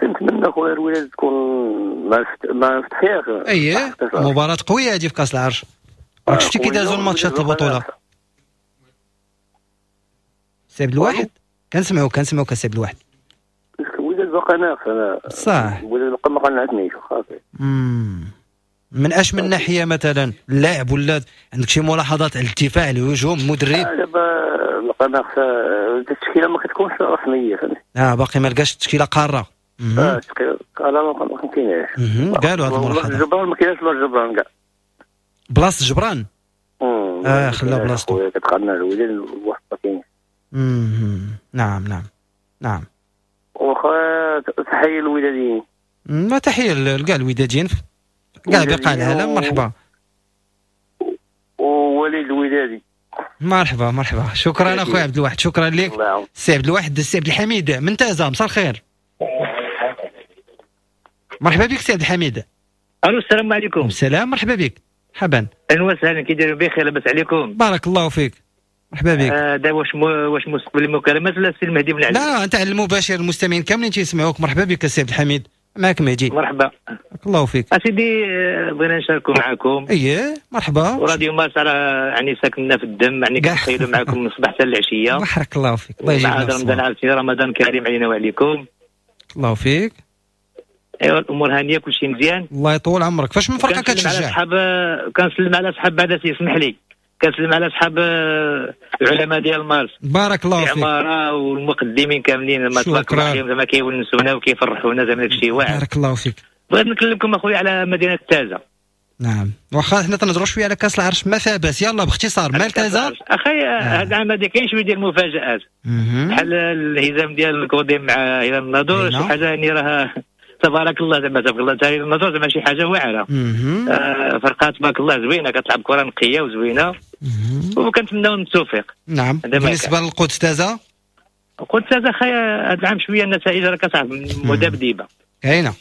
كنتمنى خويا الوداد تكون مع مع فتحية. اييه مباراة قوية هذه في كاس العرش، راك شفتي كي دازوا الماتشات البطولة. سي عبد الواحد كنسمعوك كنسمعوك السي عبد الواحد. الوداد باقا ناقص انا صح، الوداد باقا ما قنعتنيش صافي. من اش من ناحية مثلا اللاعب ولا عندك شي ملاحظات على الدفاع، الهجوم، المدرب؟ دابا باقا ناقصه التشكيلة، ما كتكونش رسمية فهمتي. اه باقي ما لقاش التشكيلة قارة. اه التشكيلة قارة ما كايناش. قالوا هذه الملاحظة. جبران ما كايناش بلاصة جبران كاع. بلاصة جبران؟ اه خلا بلاصتو. كتقارن الوداد واحد ما كاينش. نعم نعم نعم. واخا تحية للوداديين. ما تحية لكاع الوداديين كاع بقاع العالم. مرحبا. ووليد الودادي. مرحبا مرحبا، شكرا اخويا عبد الواحد، شكرا لك سي عبد الواحد. السي عبد الحميد من تازا، مساء الخير. مرحبا بك سي عبد الحميد. الو السلام عليكم. السلام، مرحبا بك. مرحبا. اهلا وسهلا، كي دايرين بخير؟ لاباس عليكم؟ بارك الله فيك، مرحبا بك. آه دا واش مو واش مستقبل المكالمات ولا السي المهدي بن علي؟ لا انت على المباشر، المستمعين كاملين تيسمعوك. مرحبا بك السي عبد الحميد، معك مهدي. مرحبا، بارك الله فيك. اسيدي بغينا نشاركوا معكم. اييه مرحبا. وراديو مارس راه يعني ساكننا في الدم، يعني كنتخيلوا معكم من الصباح حتى العشية. بارك الله فيك، الله يجزيك. رمضان عاوتاني، رمضان كريم علينا وعليكم. الله فيك. ايوا الامور هانيه، كلشي مزيان. الله يطول عمرك. فاش من فرقه كتشجع؟ اصحاب كنسلم على اصحاب بعدا، يسمح لي كنسلم على اصحاب العلماء ديال مارس. بارك الله فيك. العمارة والمقدمين كاملين، ما تبارك الله عليهم، زعما كيونسونا وكيفرحونا، زعما داكشي واعر. بارك الله فيك. بغيت نكلمكم اخويا على مدينة تازا. نعم واخا حنا تنهضروا شوية على كاس العرش، ما فيها باس. يلا باختصار مال تازا. اخي هذا العام هذا كاين شوية ديال المفاجات، بحال الهزام ديال الكوديم مع هلال الناظور، شي حاجة يعني راه تبارك الله، زعما تبارك الله تاع النظر، زعما شي حاجة واعرة. آه فرقه تبارك الله زوينة، كتلعب كره نقية وزوينه، وكنتمناو التوفيق. نعم. بالنسبة للقدس تازا؟ القدس تازا خايا هذا العام شوية النتائج راه كتعرف مذبذبه، كاينه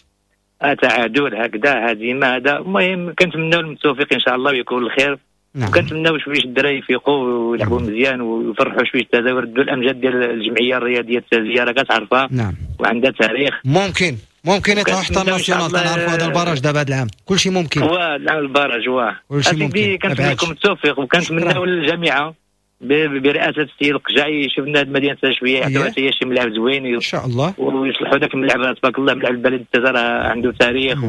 آه تعادل هكذا هزيمة هذا. المهم كنتمناو التوفيق ان شاء الله ويكون الخير. نعم. وكنتمناو شوية الدراري يفيقوا ويلعبوا مزيان ويفرحوا شوية تازا ويردوا الامجاد ديال الجمعية الرياضية التازيه، راه كتعرفها. نعم. وعندها تاريخ. ممكن ممكن يطلعوا حتى ال national، تنعرفوا هذا ال barrage دابا هذا العام كلشي ممكن. هو العام ال barrage واه كلشي ممكن. كنتمنى لكم التوفيق، وكنتمناو للجامعة برئاسة السيد القجعي شفنا هذه المدينة شوية يعطيوها حتى شي ملعب زوين ان شاء الله، ويصلحوا ذاك الملعب تبارك الله. ملعب البلد تازا راه عنده تاريخ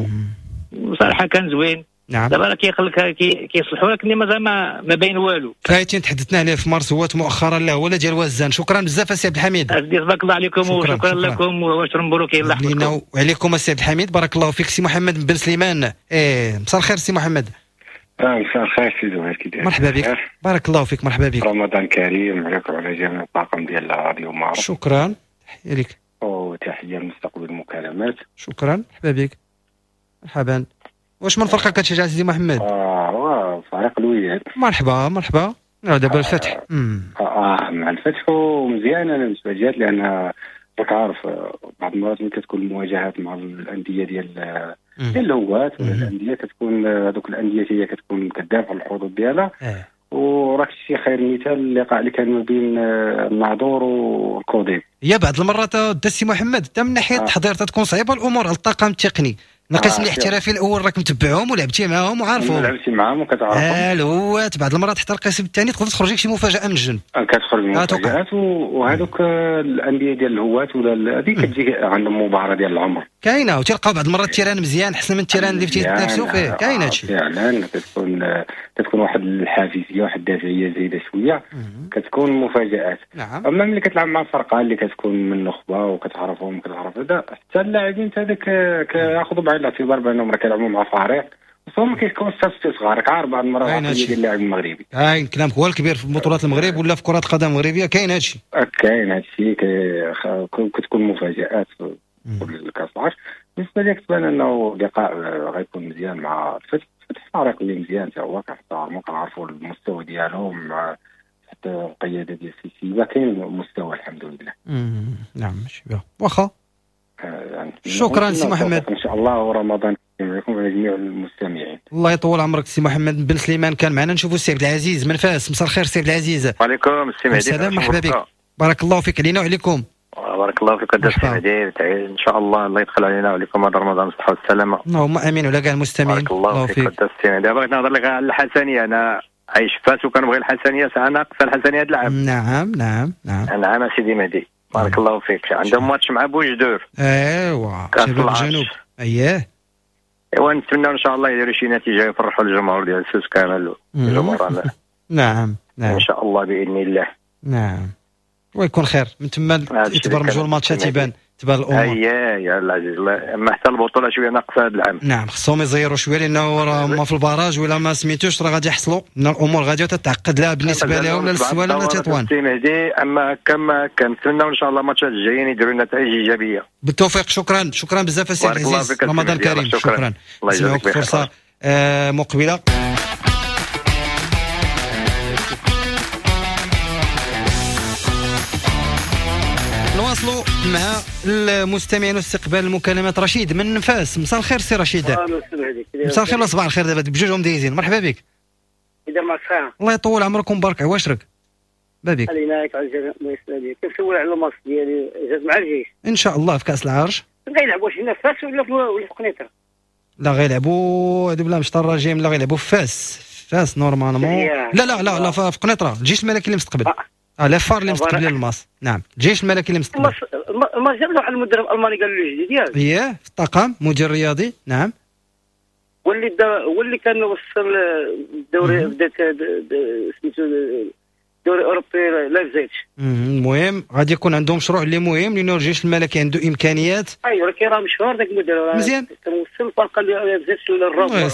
وصراحة كان زوين. نعم. دابا راه كيخلق كيصلحوا، لكن مازال ما ما باين والو. فايتين تحدثنا عليه في مارس، هو مؤخرا لا ولا ديال وزان. شكرا بزاف السي عبد الحميد. تبارك الله عليكم. شكرا وشكرا شكرا لكم وعشر مبروك الله يحفظكم. وعليكم السي عبد الحميد، بارك الله فيك. سي محمد بن سليمان، ايه مساء الخير سي محمد. اه مساء الخير سي زهير، كي داير؟ مرحبا بك، بارك الله فيك. مرحبا بك. رمضان كريم عليكم وعلى جميع الطاقم ديال راديو مارس. شكرا، تحية لك وتحية لمستقبل المكالمات. شكرا، مرحبا بك. مرحبا. واش من فرقه كتشجع سيدي محمد؟ اه فريق الوداد. مرحبا مرحبا. دابا الفتح. آه, اه مع الفتح ومزيان انا بالنسبة لي، لان راك عارف بعض المرات ملي كتكون المواجهات مع الاندية ديال ديال الهواة ولا الاندية كتكون هذوك الاندية هي كتكون كدافع على الحظوظ ديالها. آه. وراك شي خير مثال اللقاء اللي كان ما بين الناظور والكوديم. هي بعض المرات دا سي محمد حتى من ناحية التحضير تكون صعيبة الامور على الطاقم التقني. القسم آه الاحترافي الاول راك متبعهم ولعبتي معاهم وعارفهم، لعبتي معاهم وكتعرفهم. اه الهوات بعض المرات حتى القسم الثاني تقدر تخرج لك شي مفاجاة من الجنب. كتخرج مفاجات، وهذوك الاندية ديال الهوات ولا هذه كتجي عندهم مباراة ديال العمر كاينه، وتلقاو بعض المرات ال terrain مزيان احسن من ال terrain اللي تيتنافسوا فيه. كاين هادشي فعلا، كتكون كتكون واحد الحافزيه واحد الدافعيه زايدة شوية، كتكون مفاجات. نعم. اما ملي كتلعب مع فرقه اللي كتكون من النخبة وكتعرفهم وكتعرف هذا، حتى اللاعبين حتى هذاك كياخذوا بعين الاعتبار بانهم راه كيلعبوا مع فريق، وصو ما كيكونش حتى صغار. عارف بعض المرات العقلية ديال اللاعب المغربي. كاين كلامك هو الكبير في بطولات المغرب ولا في كره القدم المغربية، كاين هادشي. كاين هادشي، كتكون مفاجات في كاس العرش. بالنسبة لي كتبان انه لقاء غيكون مزيان مع الفتح. الفتح فريق اللي مزيان حتى هو، كنحترمو كنعرفوا المستوى ديالو مع حتى القيادة ديال السيسي، كاين مستوى الحمد لله. نعم ماشي واخا. يعني شكرا سي محمد، ان شاء الله ورمضان كريم عليكم وعلى جميع المستمعين. الله يطول عمرك سي محمد بن سليمان كان معنا. نشوفوا السي عبد العزيز من فاس. مساء الخير سي عبد العزيز. وعليكم السي مهدي. السلام، مرحبا بك، بارك الله فيك علينا وعليكم. بارك الله فيك السي مهدي، ان شاء الله الله يدخل علينا وعليكم هذا رمضان بالصحة والسلامة. اللهم امين وعلى كاع المستمعين. بارك الله فيك السي مهدي. بغيت نهضر لك على الحسنيه، انا عايش فاس وكنبغي الحسنيه، ساعة ناقصه الحسنيه هذا العام. نعم نعم نعم نعم سيدي مهدي. بارك الله فيك. عندهم ماتش مع بوجدور. ايوا شباب الجنوب. اييه ايوا نتمنى ان شاء الله يديروا شي نتيجة يفرحوا الجمهور ديال سوس كامل الجمهور. نعم نعم ان شاء الله باذن الله. نعم ويكون خير من تما يتبرمجوا الماتشات يبان تبان الامور. اييه يا العزيز، اما حتى البطولة شوية ناقصه هذا العام. نعم خصهم يزيروا شوية لانه راه هما في ال barrage ولا ما سميتوش راه غادي يحصلوا، ان الامور غادية تتعقد لا بالنسبة لهم لا للسوالم لا تطوان. سي مهدي، اما كما كنتمناو ان شاء الله الماتشات الجايين يديروا نتائج ايجابية. بالتوفيق. شكرا شكرا بزاف السي العزيز، رمضان كريم. شكرا, شكرا. الله يجزاك بخير. فرصة آه مقبله. نواصلوا مع المستمعين واستقبال المكالمات. رشيد من فاس، مساء الخير سي رشيد. مساء الخير ولا صباح الخير دابا بجوجهم دايزين. مرحبا بك. اذا ما صحة. الله يطول عمرك ومبارك عواشرك. بابك. خلينا لك على الله يسلمك. كنسول على الماتش ديالي جات مع الجيش. ان شاء الله في كاس العرش. غيلعبوا واش هنا في فاس ولا في ولا في قنيطره؟ لا غيلعبوا بلا مشطر الرجيم، لا غيلعبوا في فاس. فاس normalement. لا لا لا لا في قنيطره، الجيش الملكي اللي مستقبل. اه les FAR اللي مستقبلين الماس. نعم الجيش الملكي اللي مستقبل. الماس جاب واحد المدرب الالماني قال له جديد ياك. اييه في الطاقم مدير رياضي. نعم واللي واللي كان وصل الدوري بدات سميتو الدوري الاوروبي لايبزيج. المهم غادي يكون عندهم مشروع اللي مهم لانه الجيش الملكي عنده امكانيات. ايوا ولكن راه مشهور ذاك المدرب مزيان كان وصل الفرقة اللي لايبزيج للرابع.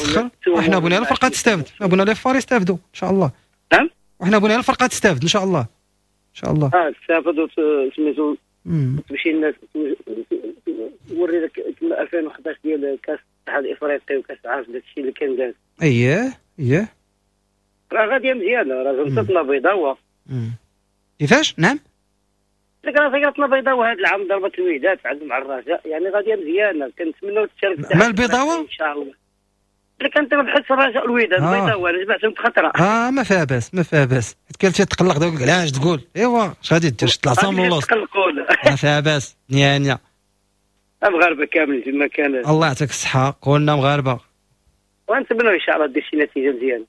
وحنا بغينا الفرقة تستافد، بغينا les FAR يستافدوا ان شاء الله. نعم وحنا بغينا الفرقة تستافد ان شاء الله. ان شاء الله. اه تستافد سميتو تمشي الناس توري لك كما ألفين وحداش ديال كاس الاتحاد الافريقي وكاس العالم داك الشيء اللي كان داز. اييه اييه راه غادية مزيانه، راه زنطتنا بيضاوه. كيفاش؟ نعم لك راه زنطتنا بيضاوه هذا العام ضربت الوداد عندهم مع الرجاء، يعني غادية مزيانه. كنتمناو تشارك مع البيضاوه ان شاء الله. لكن ربحت الرجاء الوداد البيضاوه انا جمعتهم بخطره. اه ما فيها باس ما فيها باس، حيت كان تيتقلق داك علاش تقول ايوا اش غادي دير تطلع من اللوس. ما فيها باس نيانيا. المغاربة كاملين تما كان الله يعطيك الصحة، كلنا مغاربة ونتمنوا ان شاء الله دير شي نتيجة مزيانه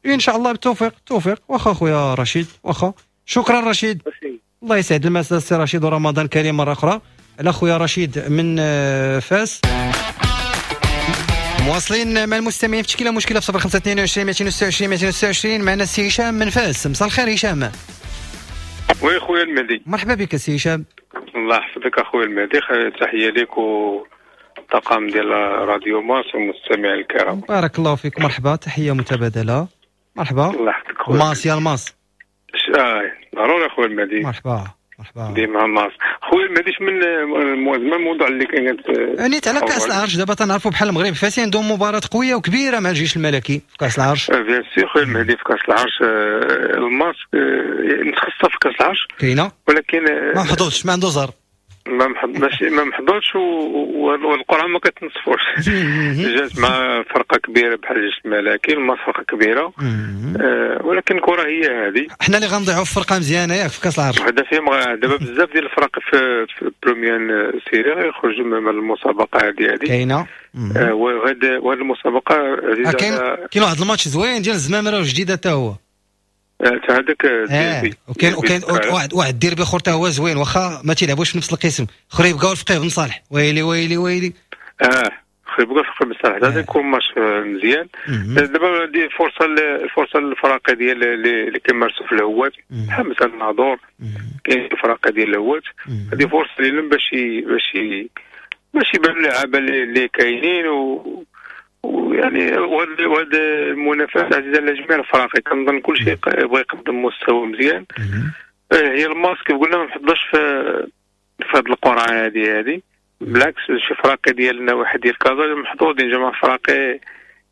ان شاء الله. بالتوفيق التوفيق. واخا خويا رشيد، واخا شكرا رشيد. الله يسعد المساء سي رشيد ورمضان كريم مرة اخرى. على خويا رشيد من فاس. مواصلين مع المستمعين في تشكيله مشكلة في صفر خمسة اثنين وعشرين مئتين وستة وعشرين مئتين وستة وعشرين. معنا السي هشام من فاس. مساء الخير هشام. oui خويا المهدي، مرحبا بك السي هشام. الله يحفظك اخويا المهدي، تحية لك والطاقم ديال راديو مارس والمستمعين الكرام. بارك الله فيك، مرحبا، تحية متبادلة. مرحبا. الله يحفظك خويا. ماس يا الماس. اه ضروري اخويا المهدي. مرحبا مرحبا. ديما ماس خويا المهدي. من زعما الموضوع اللي كان نيت على كاس العرش دابا تنعرفوا بحال المغرب فاسي عندهم مباراة قوية وكبيره مع الجيش الملكي في كاس العرش. bien sûr خويا المهدي في كاس العرش الماس متخصصة في كاس العرش كاينه، ولكن ما محظوظش، ما عنده زهر، ما ماشي ما محظوظش، والقرعه ما كتنصفوش. جات مع فرقه كبيرة بحال الجيش الملكي، الماس فرقه كبيرة، آه ولكن الكره هي هذه. حنا اللي غنضيعوا في فرقه مزيانه ياك في كاس العرش. وحده فيهم دابا بزاف ديال الفرق في في première série غيخرجوا من المسابقة هذه هذه كاينه. آه وهاد وهاد المسابقة آه كاين كاين واحد الماتش زوين ديال الزمامره وجديدة حتى هو حتى هذاك ديربي. وكاين وكاين واحد واحد الديربي اخر حتى هو زوين، واخا ما تيلعبوش في نفس القسم. خريبكا والفقيه بن صالح، ويلي ويلي ويلي. اه خريبكا والفقيه بن صالح هذا يكون ماتش مزيان. دابا هذه فرصة الفرصة للفرق ديال اللي كيمارسوا في الهوات بحال مثلا الناظور، كاين الفرق ديال الهوات، هذه فرصة لهم باش باش باش يبانوا اللعابه اللي كاينين و ويعني وهاد المنافسة عزيزه على جميع الفرق. كنظن كلشي يبغى يقدم مستوى مزيان. هي الماس كيف قلنا ما محظوظش في في هاد القرعة هذه هذه، بالعكس شي فراقي ديال النواحي ديال كازا محظوظين، جماعة فراقي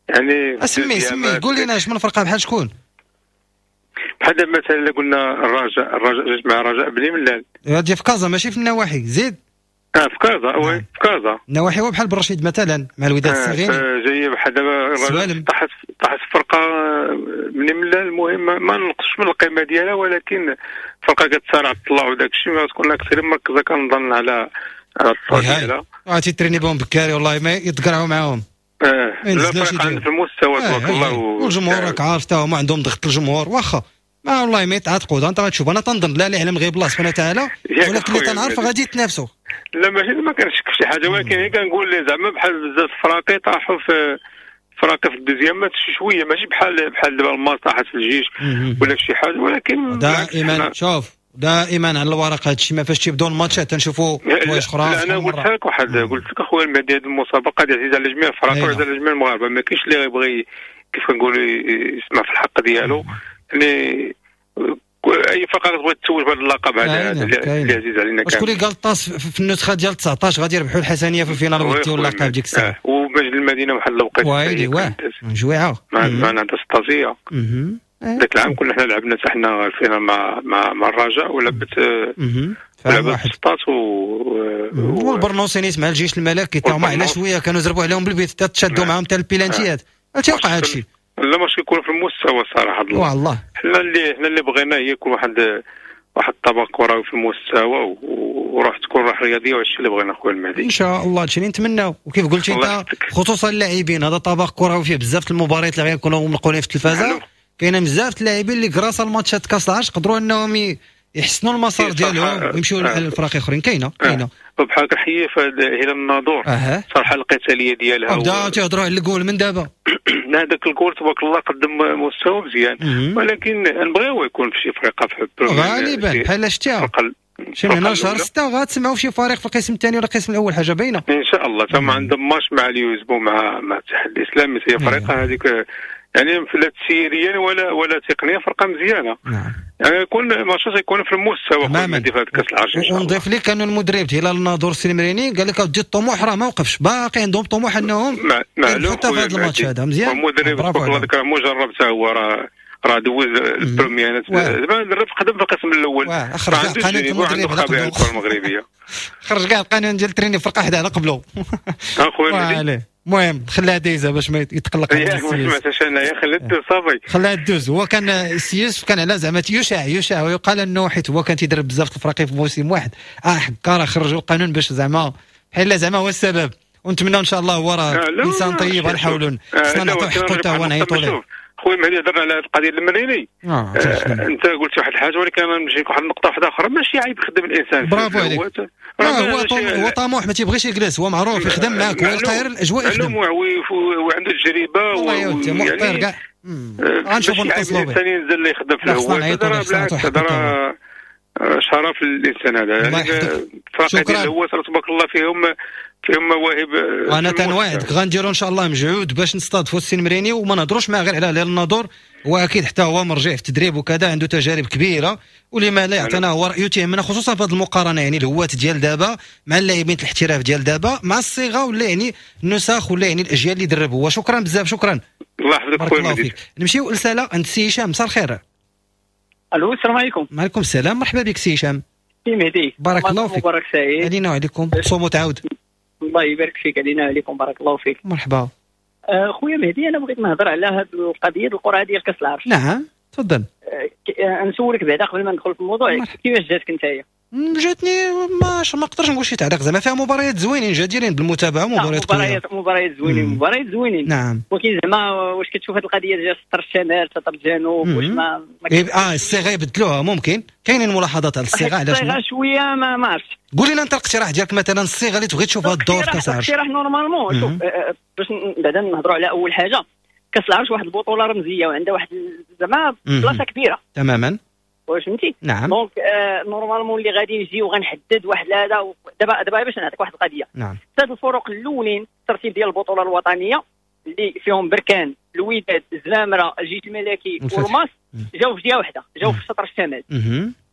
يعني. سمي سمي قول لنا اش من فرقه بحال شكون؟ بحال دابا مثلا قلنا الرجاء، الرجاء جات مع الرجاء بني ملال. هادي في كازا ماشي في النواحي. زيد اه في كازا، oui في كازا. النواحي هو بحال برشيد مثلا مع الوداد الصغير. جاية بحال دابا طاحت طاحت فرقه بني ملال. المهم ما نقصش من القيمة ديالها، ولكن فرقه كتصارع الطلع وداك الشيء، ما تكون اكثر مركزه كنظن على على الطلع ديالها. اه تيتريني بهم بكاري والله ما يتقرعوا معاهم. اه لا فرق في المستوى تبارك الله. والجمهور راك عارف تا هما عندهم ضغط الجمهور. واخا ما والله ما يتعاتقوا. انت غتشوف، انا تنظن لا يعلم غير الله سبحانه وتعالى، ولكن اللي تنعرف غادي يتنافسوا. لا ماشي ما كنشك في شي حاجة، ولكن كنقول زعما بحال بزاف الفراقي طاحوا في فراقي في ال deuxième match شوية، ماشي بحال بحال دابا الماس طاحت في الجيش ولا في شي حاجة، ولكن دائما شوف دائما على الورق هادشي ما فاش تيبداو الماتشات تنشوفوا حوايج اخرى. لا انا قلت لك واحد، قلت لك اخويا المهدي هذه المسابقة ديال عزيزه على جميع الفرق وعزيزه على جميع المغاربة، ما كاينش اللي غيبغي كيف كنقولوا يسمع في الحق ديالو. يعني اي فرقه تبغي تتوج بهذا اللقب هذا اللي عزيز علينا كامل. شكون اللي قال الطاس في النسخة ديال تسعطاش غادي يربحوا الحسنيه في ال finale ويديو اللقب ديك الساعة؟ ومجد المدينة واحد الوقيته ويلي واه جويعه مع مع السطاسيه ذاك العام كنا حنا لعبنا حتى حنا ال finale مع مع مع الرجاء ولعبت ولعبت سطات و والبرنوسينيس مع الجيش الملكي تا هما على شوية كانوا زربوا عليهم بالبيت حتى تشادوا معاهم حتى البيلانتيات. تيوقع هادشي؟ لا ماشي يكون في المستوى الصراحة. والله حنا اللي حنا اللي بغينا هي يكون واحد واحد الطبق كروي في المستوى وروح تكون روح رياضية، وهادشي اللي بغينا خويا المهدي ان شاء الله. هادشي اللي نتمناو. وكيف قلتي انت خصوصا اللاعبين، هذا طبق كروي فيه بزاف المباريات اللي غيكونوا منقولين في التلفازه، كاينه بزاف اللاعبين اللي grâce الماتشات كاس العرش قدروا انهم يحسنوا المسار ديالهم ويمشيو للفرق اخرين. كاينه كاينه بحال كنحيي في هلال الناظور صراحة القتالية ديالها، بداو تيهضروا على الجول من دابا. هذاك الجول تبارك الله قدم مستوى مزيان، ولكن نبغيو يكون في شي فرقه في غالبا بحال شتيها شي من هنا شهر ستة غتسمعوا في شي فريق في القسم الثاني ولا القسم الاول، حاجة باينة ان شاء الله. تما عندهم ماتش مع اليوزبو مع مع الاتحاد الاسلامي، هي فرقه هذيك يعني لا تسييريا ولا ولا تقنية، فرقه مزيانه. نعم. يعني يكون ماتشات يكون في المستوى تماما في هذا كاس العرش ان شاء الله. ونضيف لك انه المدرب هلال الناظور السلمريني قال لك اودي الطموح راه ما وقفش، باقي عندهم طموح انهم حتى في هذا الماتش هذا مزيان. المدرب تبارك الله ذاك مجرب حتى هو راه راه دوز ال première زعما درب قدم في القسم الاول، خرج كاع قانون المدرب على قبل الكره المغربية، خرج كاع القانون ديال التريني فرقه حدا على قبله. اخويا المهم خلاها دايزه باش ما يتقلق. ما سمعتهاش انايا، خليها دوز صافي، خلاها دوز. هو كان السي يوسف كان على زعما يشاع يشاع ويقال انه حيت هو كان تيدرب بزاف الفراقي في موسم واحد، اه حكا راه خرجوا القانون باش زعما بحال زعما هو السبب. ونتمنى ان شاء الله هو راه انسان طيب، غنحاولوا خصنا نعطيو حقه حتى هو نعيطوا ليه. خويا المهدي هضرنا على القضية المريني، آه آه انت قلت واحد الحاجة ولكن انا نجيك واحد النقطة واحدة اخرى، ماشي عيب يخدم الانسان. برافو عليك. هو هو طموح ما تيبغيش يجلس، هو معروف يخدم معاك، هو القاهر الاجواء يخدم وعنده تجربه والله يا ودي مؤطر كاع. غنشوفوا نتصلوا به. الانسان ينزل اللي يخدم في الهواء بالعكس هذا راه شرف للانسان هذا. يعني الفرق ديال الهواء تبارك الله فيهم فيهم مواهب. وانا تنوعدك غنديروا ان شاء الله مجهود باش نستضيفوا السي المريني وما نهضروش معاه غير على هلال الناظور، هو اكيد حتى هو مرجع في التدريب وكذا، عنده تجارب كبيرة، ولما لا يعطينا هو رايه تيهمنا خصوصا في هذه المقارنة، يعني الهواة ديال دابا مع اللاعبين الاحتراف ديال دابا مع الصيغة ولا يعني النسخ ولا يعني الاجيال اللي درب هو. شكرا بزاف، شكرا. الله يحفظك خويا المهدي. نمشيو لساله عند السي هشام. مساء الخير. الو السلام عليكم. وعليكم السلام، مرحبا بك سي هشام. سي مهدي بارك الله فيك. مبارك سعيد علينا وعليكم، تصوم وتعاود. الله يبارك فيك، علينا وعليكم، بارك الله فيك. مرحبا. آه خويا مهدي، انا بغيت نهضر على هذه القضية القرعة ديال كاس العرش. نعم تفضل. آه نسولك بعدا قبل ما ندخل في الموضوع، كيفاش جاتك نتايا؟ جاتني ما ما نقدرش نقول شي تعليق، زعما فيها مباريات زوينين جديرين بالمتابعة، مباريات مباريات مباريات زوينين مباريات زوينين. نعم. ولكن زعما واش كتشوف هذه القضية ديال سطر الشمال سطر الجنوب واش ما, ما اه الصيغة يبدلوها؟ ممكن كاينين ملاحظات على الصيغة. علاش الصيغة شوية ما ما عرفتش. قول لنا انت الاقتراح ديالك مثلا، الصيغة اللي تبغي تشوفها الدور في كاس العرش. الاقتراح normalement شوف باش بعدا نهضروا على اول حاجة، كاس العرش واحد البطولة رمزية وعندها واحد زعما بلاصة كبيرة تماما، واش فهمتي؟ نعم. donc آه normalement اللي غادي نجي وغنحدد واحد هذا دابا دابا باش نعطيك واحد القضية. نعم. ثلاث الفرق الاولين الترتيب ديال البطولة الوطنية اللي فيهم بركان، الوداد، الزمامره، الجيش الملكي والماس، جاو في جهة واحدة، جاو في الشطر الشمال.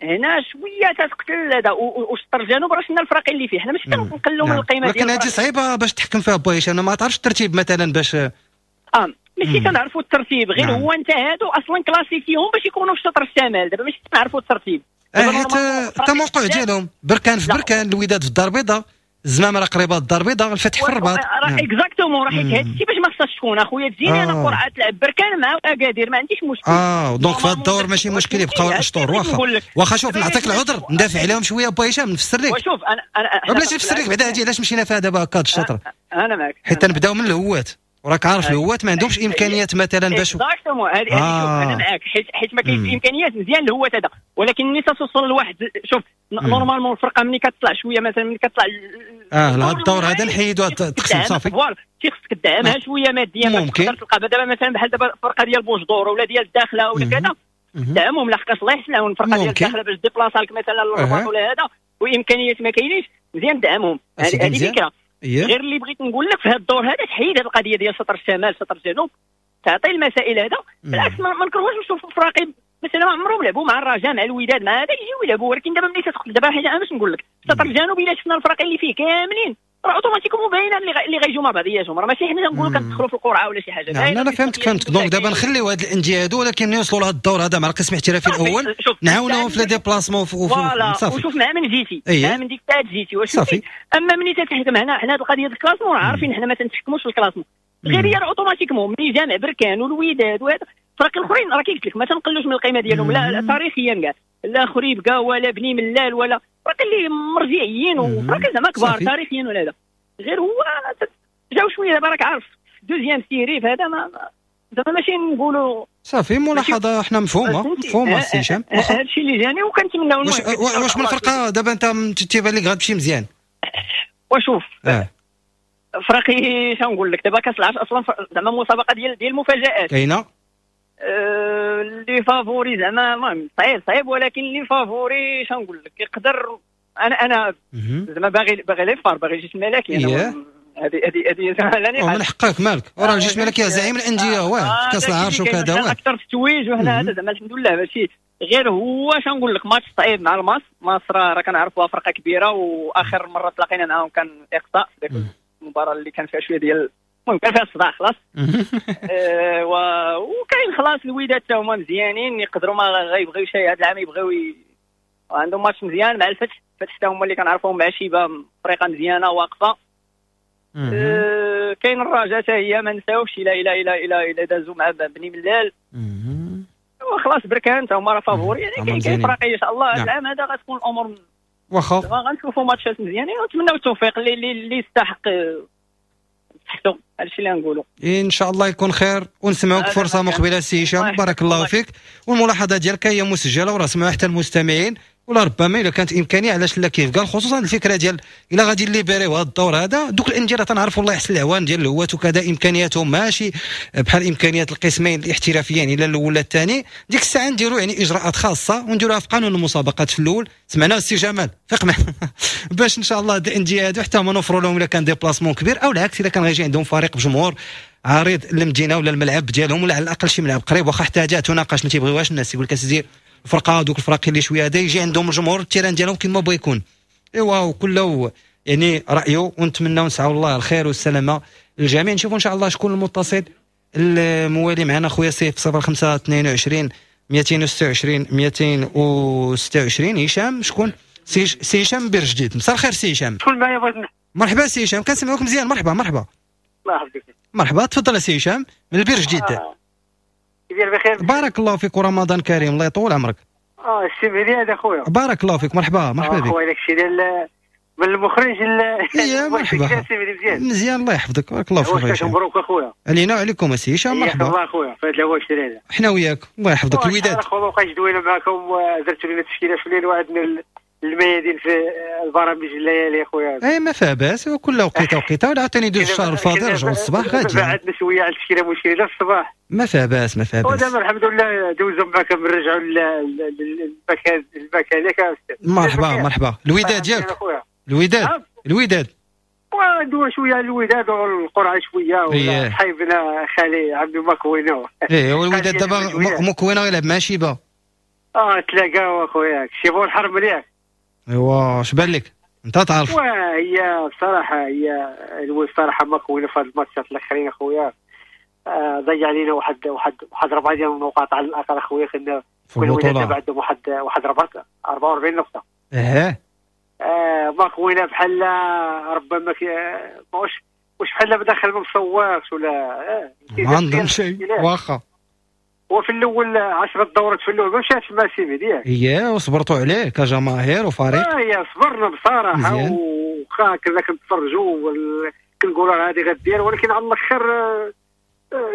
هنا شوية تتقتل هذا، والشطر الجنوب راه شفنا الفرق اللي فيه، حنا ماشي كنقلوا من القيمة ديال. ولكن هذه صعيبة باش تحكم فيها با هشام، ما تعرفش الترتيب مثلا باش اه ماشي كنعرفوا الترتيب، غير هو انت هادو اصلا classifiés باش يكونوا في الشطر الشمال، دابا ماشي كنعرفوا الترتيب. اه حيت التموقع ديالهم بركان في بركان، الوداد في الدار البيضاء، الزمامره قريبه الدار البيضاء، الفتح في الرباط. راه exactement، راه حيت هادشي باش ما خصهاش تكون اخويا تجيني انا قرعه تلعب بركان مع اكادير ما عنديش مشكل. اه donc في هاد الدور ماشي مشكل يبقاو الاشطور. واخا واخا شوف نعطيك العذر، ندافع عليهم شوية با هشام، نفسر لك. وشوف انا انا بلاش نفسر لك بعدا هادي علاش مشينا فيها دابا هكا الشطر. انا معاك حيت نبداو من الهوات. وراك عارف الهوات ما عندهمش امكانيات مثلا باش exactement. هذه آه. انا معاك حيت حيت ما كاينش امكانيات مزيان الهوات هذا، ولكن ملي توصل لواحد شوف normalement الفرقة ملي كتطلع شوية مثلا ملي كتطلع اه لهذا الدور هذا نحيدوا التقسيم صافي voilà تيخصك تدعمها شوية ماديا باش تقدر تلقى دابا مثلا بحال دابا الفرقة ديال بوجدور ولا ديال الداخلة ولا كذا دعمهم لحقاش الله يحسن العون الفرقة ديال الداخلة باش déplaça لك مثلا للرباط ولا هذا وامكانيات ما كاينينش مزيان دعمهم. هذه فكرة. غير اللي بغيت نقول لك في هذا الدور هذا تحيد هذه القضية ديال شطر الشمال شطر الجنوب، تعطي المسائل هذا. بالعكس ما نكرهوش نشوفوا فراقي مثلا ما عمرهم لعبوا مع الرجاء مع الوداد مع هذا يجيو يلعبوا، ولكن دابا ملي تدخل دابا حاجة انا باش نقول لك شطر الجنوب الا شفنا الفرق اللي فيه كاملين راه automatiquement باينة اللي غيجيو مع بعضياتهم، راه ماشي حنا نقولوا كندخلوا في القرعة ولا شي حاجة. نعم انا فهمتك فهمتك. donc دابا نخليو هاد الاندية هادو ولكن يوصلوا لهاد الدور هذا مع القسم الاحترافي الاول نعاونوهم في les déplacements صافي وشوف مع من جيتي مع من ديك الساعة جيتي واش صافي. اما ملي تتحكم هنا حنا هاد القضية ديال ال classement عارفين حنا ما تنتحكموش في ال classement، غير هي automatiquement ملي جامع بركان والوداد وهذا الفرق الاخرين راه كيقلت لك ما تنقلوش من القيمة ديالهم لا تاريخيا كاع، لا خريبكا ولا بني ملال ولا فرق اللي مرجعيين وفرق زعما كبار تاريخيا ولا هذا. غير هو جاو شوية دابا راك عارف deuxième série فهذا ما زعما ماشي نقولوا صافي. ملاحظة حنا مفهومه مفهومه السي هشام، هذا الشيء اللي جاني وكنتمناو. واش واش من الفرقة دابا انت تيبان لك غتمشي مزيان؟ وشوف آه. فرقي شنقول لك دابا كاس العرش اصلا زعما مسابقة ديال ديال المفاجات كاينه أه les favoris زعما المهم صعيب صعيب، ولكن les favoris شنقول لك يقدر انا انا زعما باغي باغي les FAR باغي الجيش الملكي انا هذه هذه هذه لا نقاش. من حقك مالك وراه الجيش الملكي زعيم الاندية هو في كاس العرش وكذا هو اكثر في التويج وحنا هذا زعما الحمد لله ماشي. غير هو شنقول لك ماتش صعيب مع الماس، ماس راه كنعرفوها فرقه كبيرة واخر مرة تلاقينا معاهم كان اقصاء في ذاك المباراة اللي كان فيها شوية ديال المهم كان فيها الصداع خلاص. آه و... وكاين خلاص الوداد حتى هما مزيانين يقدروا ما غيبغيو شي هذا العام يبغيو ي... عندهم ماتش مزيان مع الفتح، الفتح حتى هما اللي كنعرفوهم مع شيبة فريقه مزيانه واقفة. آه كاين الرجاء حتى هي ما نساوش الى الى الى الى الى دازوا مع بني ملال وخلاص بركان حتى هما راه favoris يعني كاين كاين فرق ان شاء الله هذا العام هذا غتكون الامور واخا غنشوفوا ماتشات مزيانين ونتمناو التوفيق اللي اللي يستحق صحتو. هادشي اللي غنقولوا ان شاء الله يكون خير ونسمعوك فرصة مقبله سي هشام بارك الله فيك. والملاحظه ديالك هي مسجله وراه سمعوها حتى المستمعين، ولا ربما الا كانت امكانية علاش لا كيف قال، خصوصا الفكرة ديال الا غادي libérer يو هذا الدور هذا دوك الاندية راه تنعرفوا الله يحسن العوان ديال الهوات وكذا امكانياتهم ماشي بحال امكانيات القسمين الاحترافيين الى الاول ولا الثاني. ديك الساعة نديروا يعني اجراءات خاصة ونديروها في قانون المسابقات في الاول. سمعنا السي جمال فيق معنا باش ان شاء الله الاندية هادو حتى هما نوفروا لهم الا كان déplacement كبير او العكس الا كان غيجي عندهم فريق بجمهور عريض للمدينة ولا الملعب ديالهم ولا على الاقل شي ملعب قريب، واخا حتى جات تناقش ما تيبغيوهاش الناس يقول لك اسيدي الفرقة دوك الفراقي اللي شوية هذا يجي عندهم الجمهور ال terrain ديالهم كما بغا يكون. ايوا وكله يعني رايه، ونتمناو نسعوا الله الخير والسلامة للجميع. نشوفوا ان شاء الله شكون المتصل الموالي معنا خويا سيف صفر خمسة اثنين وعشرين مئتين وستة وعشرين مئتين وستة وعشرين. هشام شكون؟ سي سي هشام بير جديد. مساء الخير سي هشام. شكون معايا؟ بغيت مرحبا سي هشام كنسمعوك مزيان. مرحبا مرحبا. الله يحفظك. مرحبا تفضل سي هشام من البير جديد. آه. بخير بارك الله فيك ورمضان كريم الله يطول عمرك. اه السي مهدي هذا خويا بارك الله فيك. مرحبا مرحبا بك خويا. داكشي ديال من المخرج اي مرحبا مزيان الله يحفظك بارك الله فيك. مبروك اخويا علينا وعليكم السي هشام. مرحبا الله اخويا في هذا العواشر هذا حنا وياك الله يحفظك. الوداد اخويا ما بقاش دوينا معكم درتوا لنا تشكيله في الليل وعندنا الميادين في البرامج الليالي اخويا. اي ما فيها باس وكل وقيته وقيته ولا عاوتاني دوز الشهر الفاضل رجعوا الصباح غادي بعدنا شوية على التشكيلة مشكلة الصباح ما فيها باس ما فيها باس. ودابا الحمد لله دوزوا معكم نرجعوا للمكان المكان ياك. مرحبا مرحبا. الوداد ياك؟ الوداد الوداد وندوي شوية على الوداد والقرعه شوية ولا صحيبنا خالي عبد مكوينو. ايه والوداد دابا مكوينو يلعب مع شيبة. اه تلاقاو اخويا شيبو الحرب مليح. ايوا اش بان لك انت تعرف؟ وهي بصراحة هي الصراحة مكوينه في هاد الماتشات الاخرين اخويا آه ضيع علينا واحد واحد واحد ربعه ديال النقاط على الاقل اخويا. كنا كنا دابا عندهم واحد واحد أربعة وأربعين نقطة. ايه آه مكوينه بحال ربما واش واش بحال بداخل ما مصورش ولا آه ما عندهم شيء واخا. وفي الاول عشرة دورات في الاول ما مشاتش مع سيمي ديالك. اييه وصبرتوا عليه كجماهير وفريق. اه يا صبرنا بصراحة وخا كنا كنتفرجوا كنقول راه هذه غدير، ولكن على الاخر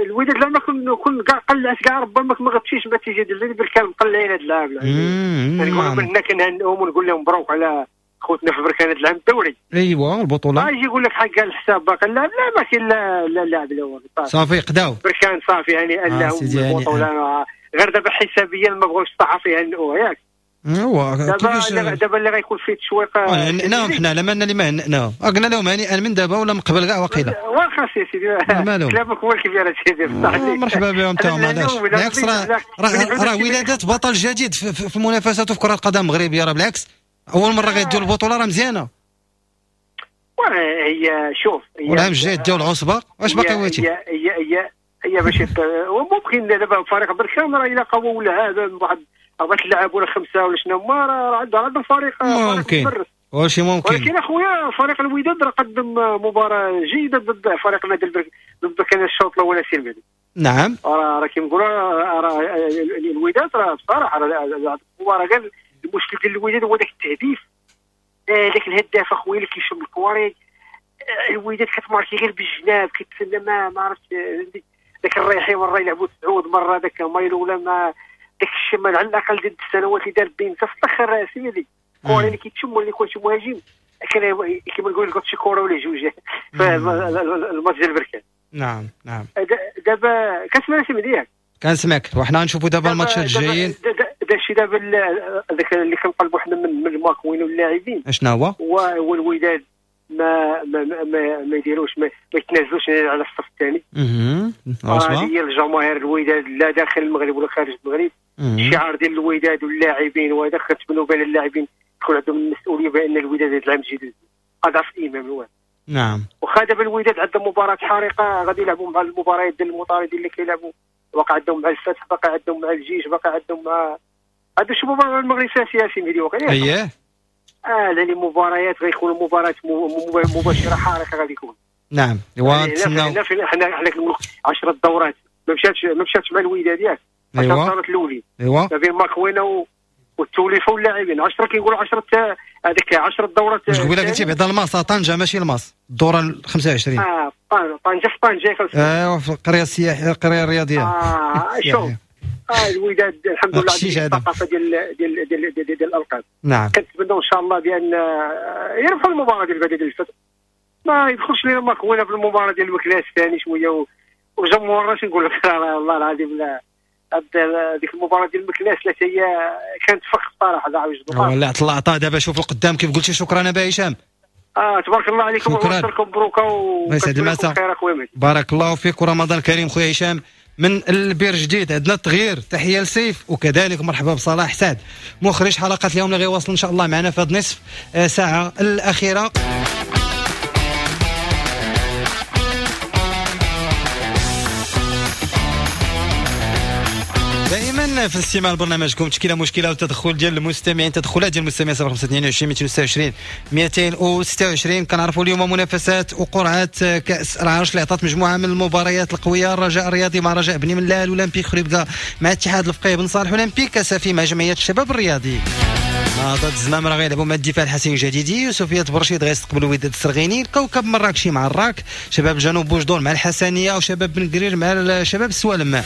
الوداد لما كن كن كاع قلعت كاع ربما ما غتمشيش النتيجة ديال بركان مقلعين هذا العام. نقول من هنا كنهنئهم ونقول لهم مبروك على خوتنا في بركان هذا العام الدوري. ايوا البطولة. يجي يقول لك حق الحساب باقي لا لا ما كاين لا لا لاعب لا والو. صافي قداو بركان صافي يعني لهم البطولة، غير دابا حسابيا ما بغاوش الصحافة يهنئوه ياك. ايوا دابا دابا اللي غيكون فيه التشويق هنأناهم حنا لا مالنا اللي ما هنأناهم، قلنا لهم هنيئا من دابا ولا من قبل كاع وقيله. واخا سي سيدي كلامك هو الكبير سيدي بصح. مرحبا بهم تا هما. علاش بالعكس راه راه ولادات بطل جديد في المنافسات وفي كره القدم المغربية، راه بالعكس اول مرة غيديو البطولة راه مزيانه. هي شوف والعام الجاي ديو العصبة واش باقي واتي هي هي هي هي باش وممكن دابا فريق بركان راه الا قووا ولا هذا واحد أربعة لاعب ولا خمسة ولا شنو هما راه عنده عنده فريق ممكن واش ممكن. ولكن اخويا فريق الوداد راه قدم مباراة جيدة ضد فريق نادي البرك ضد كان الشوط الاول سي المهدي. نعم راه راه كيما نقولوا راه الوداد راه بصراحة راه المباراة غير المشكل ديال الوداد هو داك التهديف، داك الهداف اخويا اللي كيشم الكواري. الوداد كتماركي غير بالجناب كتسنى ما ما عرفتش داك الريحي مرة يلعبوا تسعود مرة داك مايلو ولا ما داك الشمال على الاقل ديال السنوات اللي دار بين في الاخر سيدي الكره اللي كيتشم ولا يكون شي مهاجم كان كيما نقول لك شي كره ولا جوج في الماتش ديال بركان. نعم نعم دابا كتسمع سي مهدي؟ كنسمعك وحنا غنشوفوا دابا الماتشات الجايين. داكشي دابا داك اللي كنطلبوا حنا من من الماكوين واللاعبين اشنا هو؟ هو الوداد ما ما ما, ما يديروش ما, ما يتنازلوش على الصف الثاني. اها هذه هي الجماهير الوداد لا داخل المغرب ولا خارج المغرب. الشعار ديال الوداد واللاعبين وهذا كتبنوا بان اللاعبين تكون عندهم المسؤولية بان الوداد هذا العام الجديد اضعف الايمان الواد. نعم واخا دابا الوداد عندهم مباراة حارقه غادي يلعبوا مع المباريات ديال المطاردين اللي كيلعبوا، وقع عندهم مع الفتح، باقي عندهم مع الجيش، باقي عندهم مع هادو شي مباراة المغرب سياسي مهدي وقيلا. اييه اه لان المباريات غيكونوا مباريات مباشرة حارقه غادي يكون. نعم ونتسناو حنا حنا كنقولوا عشرة دورات ما مشاتش ما مشاتش مع الوداد ياك. عشرة دورات الاولين ايوا ما بين ماكوينه والتوليفه واللاعبين عشرة كيقولوا عشرة هذيك عشرة دورات. واش قبيلة قلتي بعدا الماس طنجه ماشي الماس الدورة ال خمسة وعشرين. اه طنجه في طنجه ايوا في القرية السياحية القرية الرياضية. اه شوف اه الوداد الحمد لله عندهم الثقافة ديال ديال ديال ديال, ديال الالقاب. نعم كنتمنوا ان شاء الله بان يربحوا المباراة ديال بعد ديال الفتح، ما يدخلش لنا ماكوينه في المباراة ديال المكلاس الثاني شوية وجمهور اش نقول لك والله العظيم لا ديك المباراة ديال المكلاس لا هي كانت فخ الصراحة لا عاوج والله طلع عطاه. دابا شوف القدام كيف قلتي. شكرا ابا هشام. اه تبارك الله عليكم وعواشركم مبروكه ويسعد المساء. بارك الله فيك ورمضان كريم خويا هشام من البير جديد. عندنا التغيير، تحية لسيف وكذلك مرحبا بصلاح سعد مخرج حلقة اليوم اللي غيواصل ان شاء الله معنا في هذه نصف ساعة الاخيرة. دائما في الاستماع لبرنامجكم تشكيله مشكلة والتدخل ديال المستمعين، تدخلات ديال المستمعين صفر خمسة اثنين وعشرين مئتين وستة وعشرين مئتين وستة وعشرين. كنعرفوا اليوم منافسات وقرعات كاس العرش اللي عطات مجموعة من المباريات القوية. الرجاء الرياضي مع رجاء بني ملال، اولمبيك خريبكا مع اتحاد الفقيه بن صالح، اولمبيك اسفي مع جمعية الشباب الرياضي. نهضة الزمامرة غيلعبوا مع الدفاع الحسين الجديدي، يوسفية برشيد غيستقبلوا وداد السرغيني، الكوكب مراكشي مع الراك، شباب جنوب بوجدور مع الحسنيه، وشباب بن قرير مع شباب السوالم.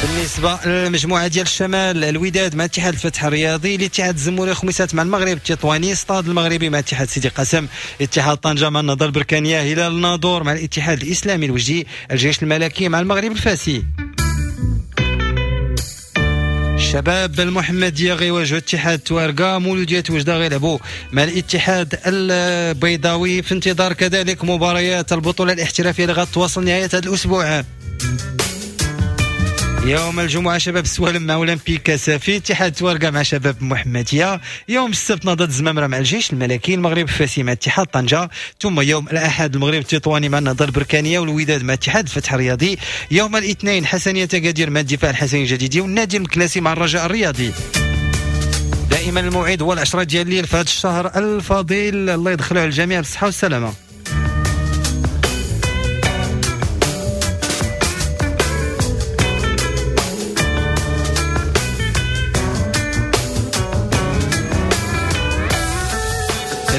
بالنسبة للمجموعة ديال الشمال، الوداد مع اتحاد الفتح الرياضي، الاتحاد الزموري خميسات مع المغرب التطواني، استاد المغربي مع اتحاد سيدي قاسم، اتحاد طنجه مع النهضة البركانيه، هلال الناظور مع الاتحاد الاسلامي الوجدي، الجيش الملكي مع المغرب الفاسي. الشباب المحمدية غيواجهوا اتحاد توارقه، مولوديه وجده غيلعبوا مع الاتحاد البيضاوي. في انتظار كذلك مباريات البطولة الاحترافية اللي غتواصل نهاية هذا الاسبوع. يوم الجمعة شباب السوالم مع أولمبيك سافي، اتحاد توارقة مع شباب محمدية، يوم السبت نهضة الزمامرة مع الجيش الملكي، المغرب الفاسي مع اتحاد طنجة، ثم يوم الأحد المغرب التطواني مع النهضة البركانية والوداد مع اتحاد الفتح الرياضي، يوم الاثنين حسنية أكادير مع الدفاع الحسني الجديدي، والنادي المكلاسي مع الرجاء الرياضي. دائما الموعد هو العشرة ديال الليل في هذا الشهر الفضيل، الله يدخله على الجميع بالصحة والسلامة.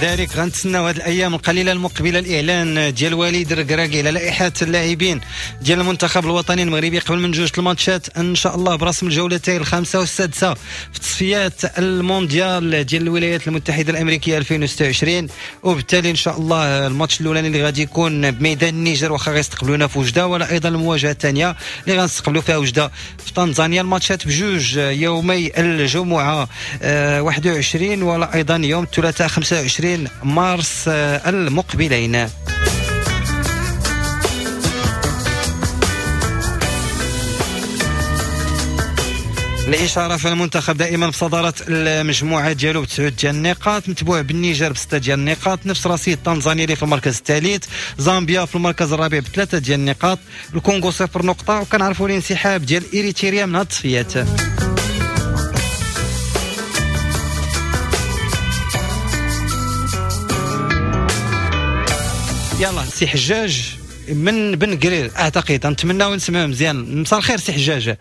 كذلك غنتسناو هذه الايام القليلة المقبلة الاعلان ديال وليد الركراكي على لائحة اللاعبين ديال المنتخب الوطني المغربي قبل من جوج الماتشات ان شاء الله برسم الجولتين الخامسة والسادسه في تصفيات المونديال ديال الولايات المتحدة الامريكية ألفين وستة وعشرين. وبالتالي ان شاء الله الماتش الاولاني اللي غادي يكون بميدان النيجر واخا غيستقبلونا في وجده، ولا ايضا المواجهة الثانية اللي غنستقبلوا فيها وجده في تنزانيا. الماتشات بجوج يومي الجمعة واحد وعشرين ولا ايضا يوم الثلاثاء خمسة وعشرين مارس المقبلين. الإشارة في المنتخب دائما بصدارة المجموعة ديالو بتسعود ديال النقاط، متبوع بالنيجر بستة ديال النقاط، نفس رصيد تنزانيا اللي في المركز الثالث، زامبيا في المركز الرابع بثلاثة ديال النقاط، الكونغو صفر نقطة، وكنعرفوا الانسحاب ديال إريتريا من هاد التصفيات. يلا سي حجاج من بن قرير اعتقد، نتمناو نسمعوا مزيان. مساء الخير سي حجاج.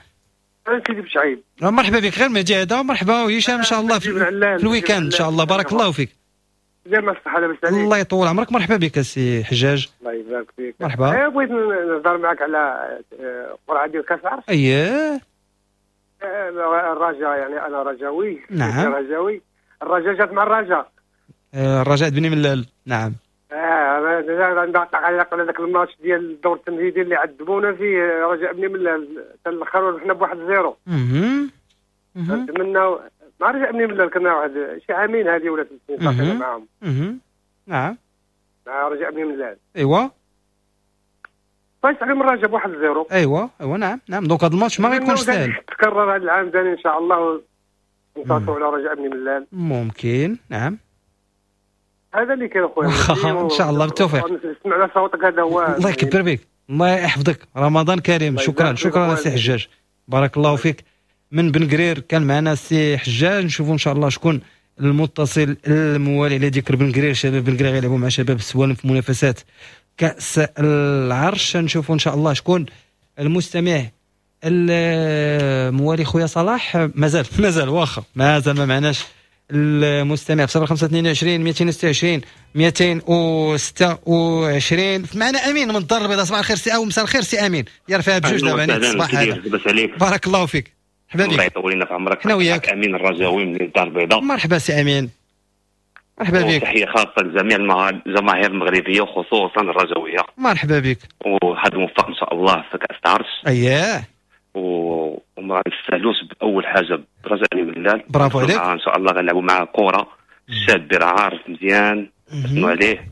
سيدي بشعيب، مرحبا بك. غير مهدي هذا، مرحبا وهشام ان شاء الله في, في ال week-end ان شاء الله. بارك الله فيك. زعما الصحة لاباس عليك. الله يطول عمرك. مرحبا بك سي حجاج. الله يبارك فيك. مرحبا. بغيت نهضر معك على قرعه ديال كاس العرش. اييه الرجاء، يعني انا رجاوي. نعم رجاوي. الرجاء جات مع الرجاء. الرجاء بني ملال. نعم. اه انا على ذاك الماتش ديال الدور التمهيدي اللي عذبونا فيه رجاء بني ملال حتى الاخر وربحنا بواحد zéro. اها نتمنى مع رجاء بني ملال كنا واحد شي عامين هذه ولا ثلاث سنين صافي معاهم. اها نعم مع رجاء بني ملال. ايوا فايز عليهم الرجاء بواحد zéro. ايوا ايوا نعم نعم. donc هذا الماتش ما غيكونش ساهل. تكرر هذا العام ثاني ان شاء الله ننتصروا على رجاء بني ملال. ممكن نعم. هذا اللي كاين اخويا. ان شاء الله بالتوفيق. نسمع على صوتك هذا هو. الله يكبر بك، الله يحفظك، رمضان كريم. شكرا شكرا سي حجاج، بارك الله فيك. من بن قرير كان معنا سي حجاج. نشوفوا ان شاء الله شكون المتصل الموالي على ذكر بن قرير. شباب بن قرير غيلعبوا مع شباب السوالم في منافسات كأس العرش. نشوفوا ان شاء الله شكون المستمع الموالي. خويا صلاح مازال مازال واخا مازال ما معناش المستمع في صفر خمسة اثنين وعشرين مئتين وستة وعشرين مئتين وستة وعشرين. معنا امين من الدار البيضاء. صباح الخير سي او مساء الخير سي امين. يرفعها بجوج دابا نيت الصباح هذا. بارك الله فيك. مرحبا بك. الله يطول لنا في عمرك. حنا وياك. امين الرجاوي من الدار البيضاء. مرحبا سي امين. مرحبا بك. تحية خاصة لجميع الجماهير المغربية وخصوصا الرجاويه. مرحبا بك. وحد موفق ان شاء الله في كاس العرش. اييه. وما نستاهلوش باول حاجة برجاء ملال. برافو عليك. ان شاء الله غنلعبوا معاه كره. الشاب راه عارف مزيان شنو عليه،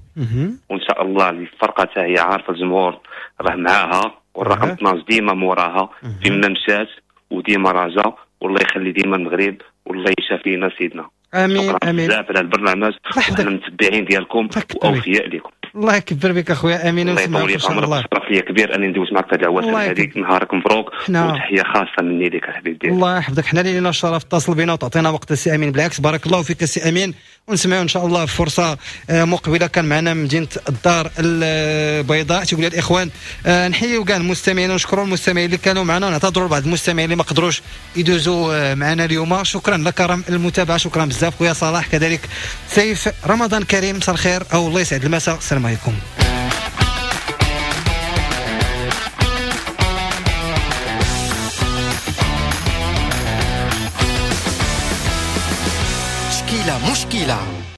وان شاء الله الفرقة حتى هي عارفه، الجمهور راه معاها، والرقم اثناش ديما موراها فيما مشات وديما راجا. والله يخلي ديما المغرب والله يشافينا سيدنا. امين امين. بزاف على البرنامج، وحنا متبعين ديالكم واوفياء لكم. الله يكبر بك اخويا امين. الله يطول لي عمرك. شرف لي كبير اني ندوز معك في هذه العواشر هذيك. نهارك مبروك وتحية خاصة مني لك الحبيب ديالي. الله يحفظك. حنا اللي لنا الشرف اتصل بنا وتعطينا وقت السي امين. بالعكس بارك الله فيك السي امين، ونسمعوا ان شاء الله في فرصة مقبله. كان معنا مدينة الدار البيضاء. تيقول الاخوان نحيوا كاع المستمعين ونشكروا المستمعين اللي كانوا معنا، ونعتذروا لبعض المستمعين اللي ما قدروش يدوزوا معنا اليوم. شكرا لكرم المتابعة، شكرا بزاف خويا صلاح، كذلك سيف. رمضان كريم، مساء الخير او الله يسعد المساء. السلام عليكم. مشكلة مشكلة.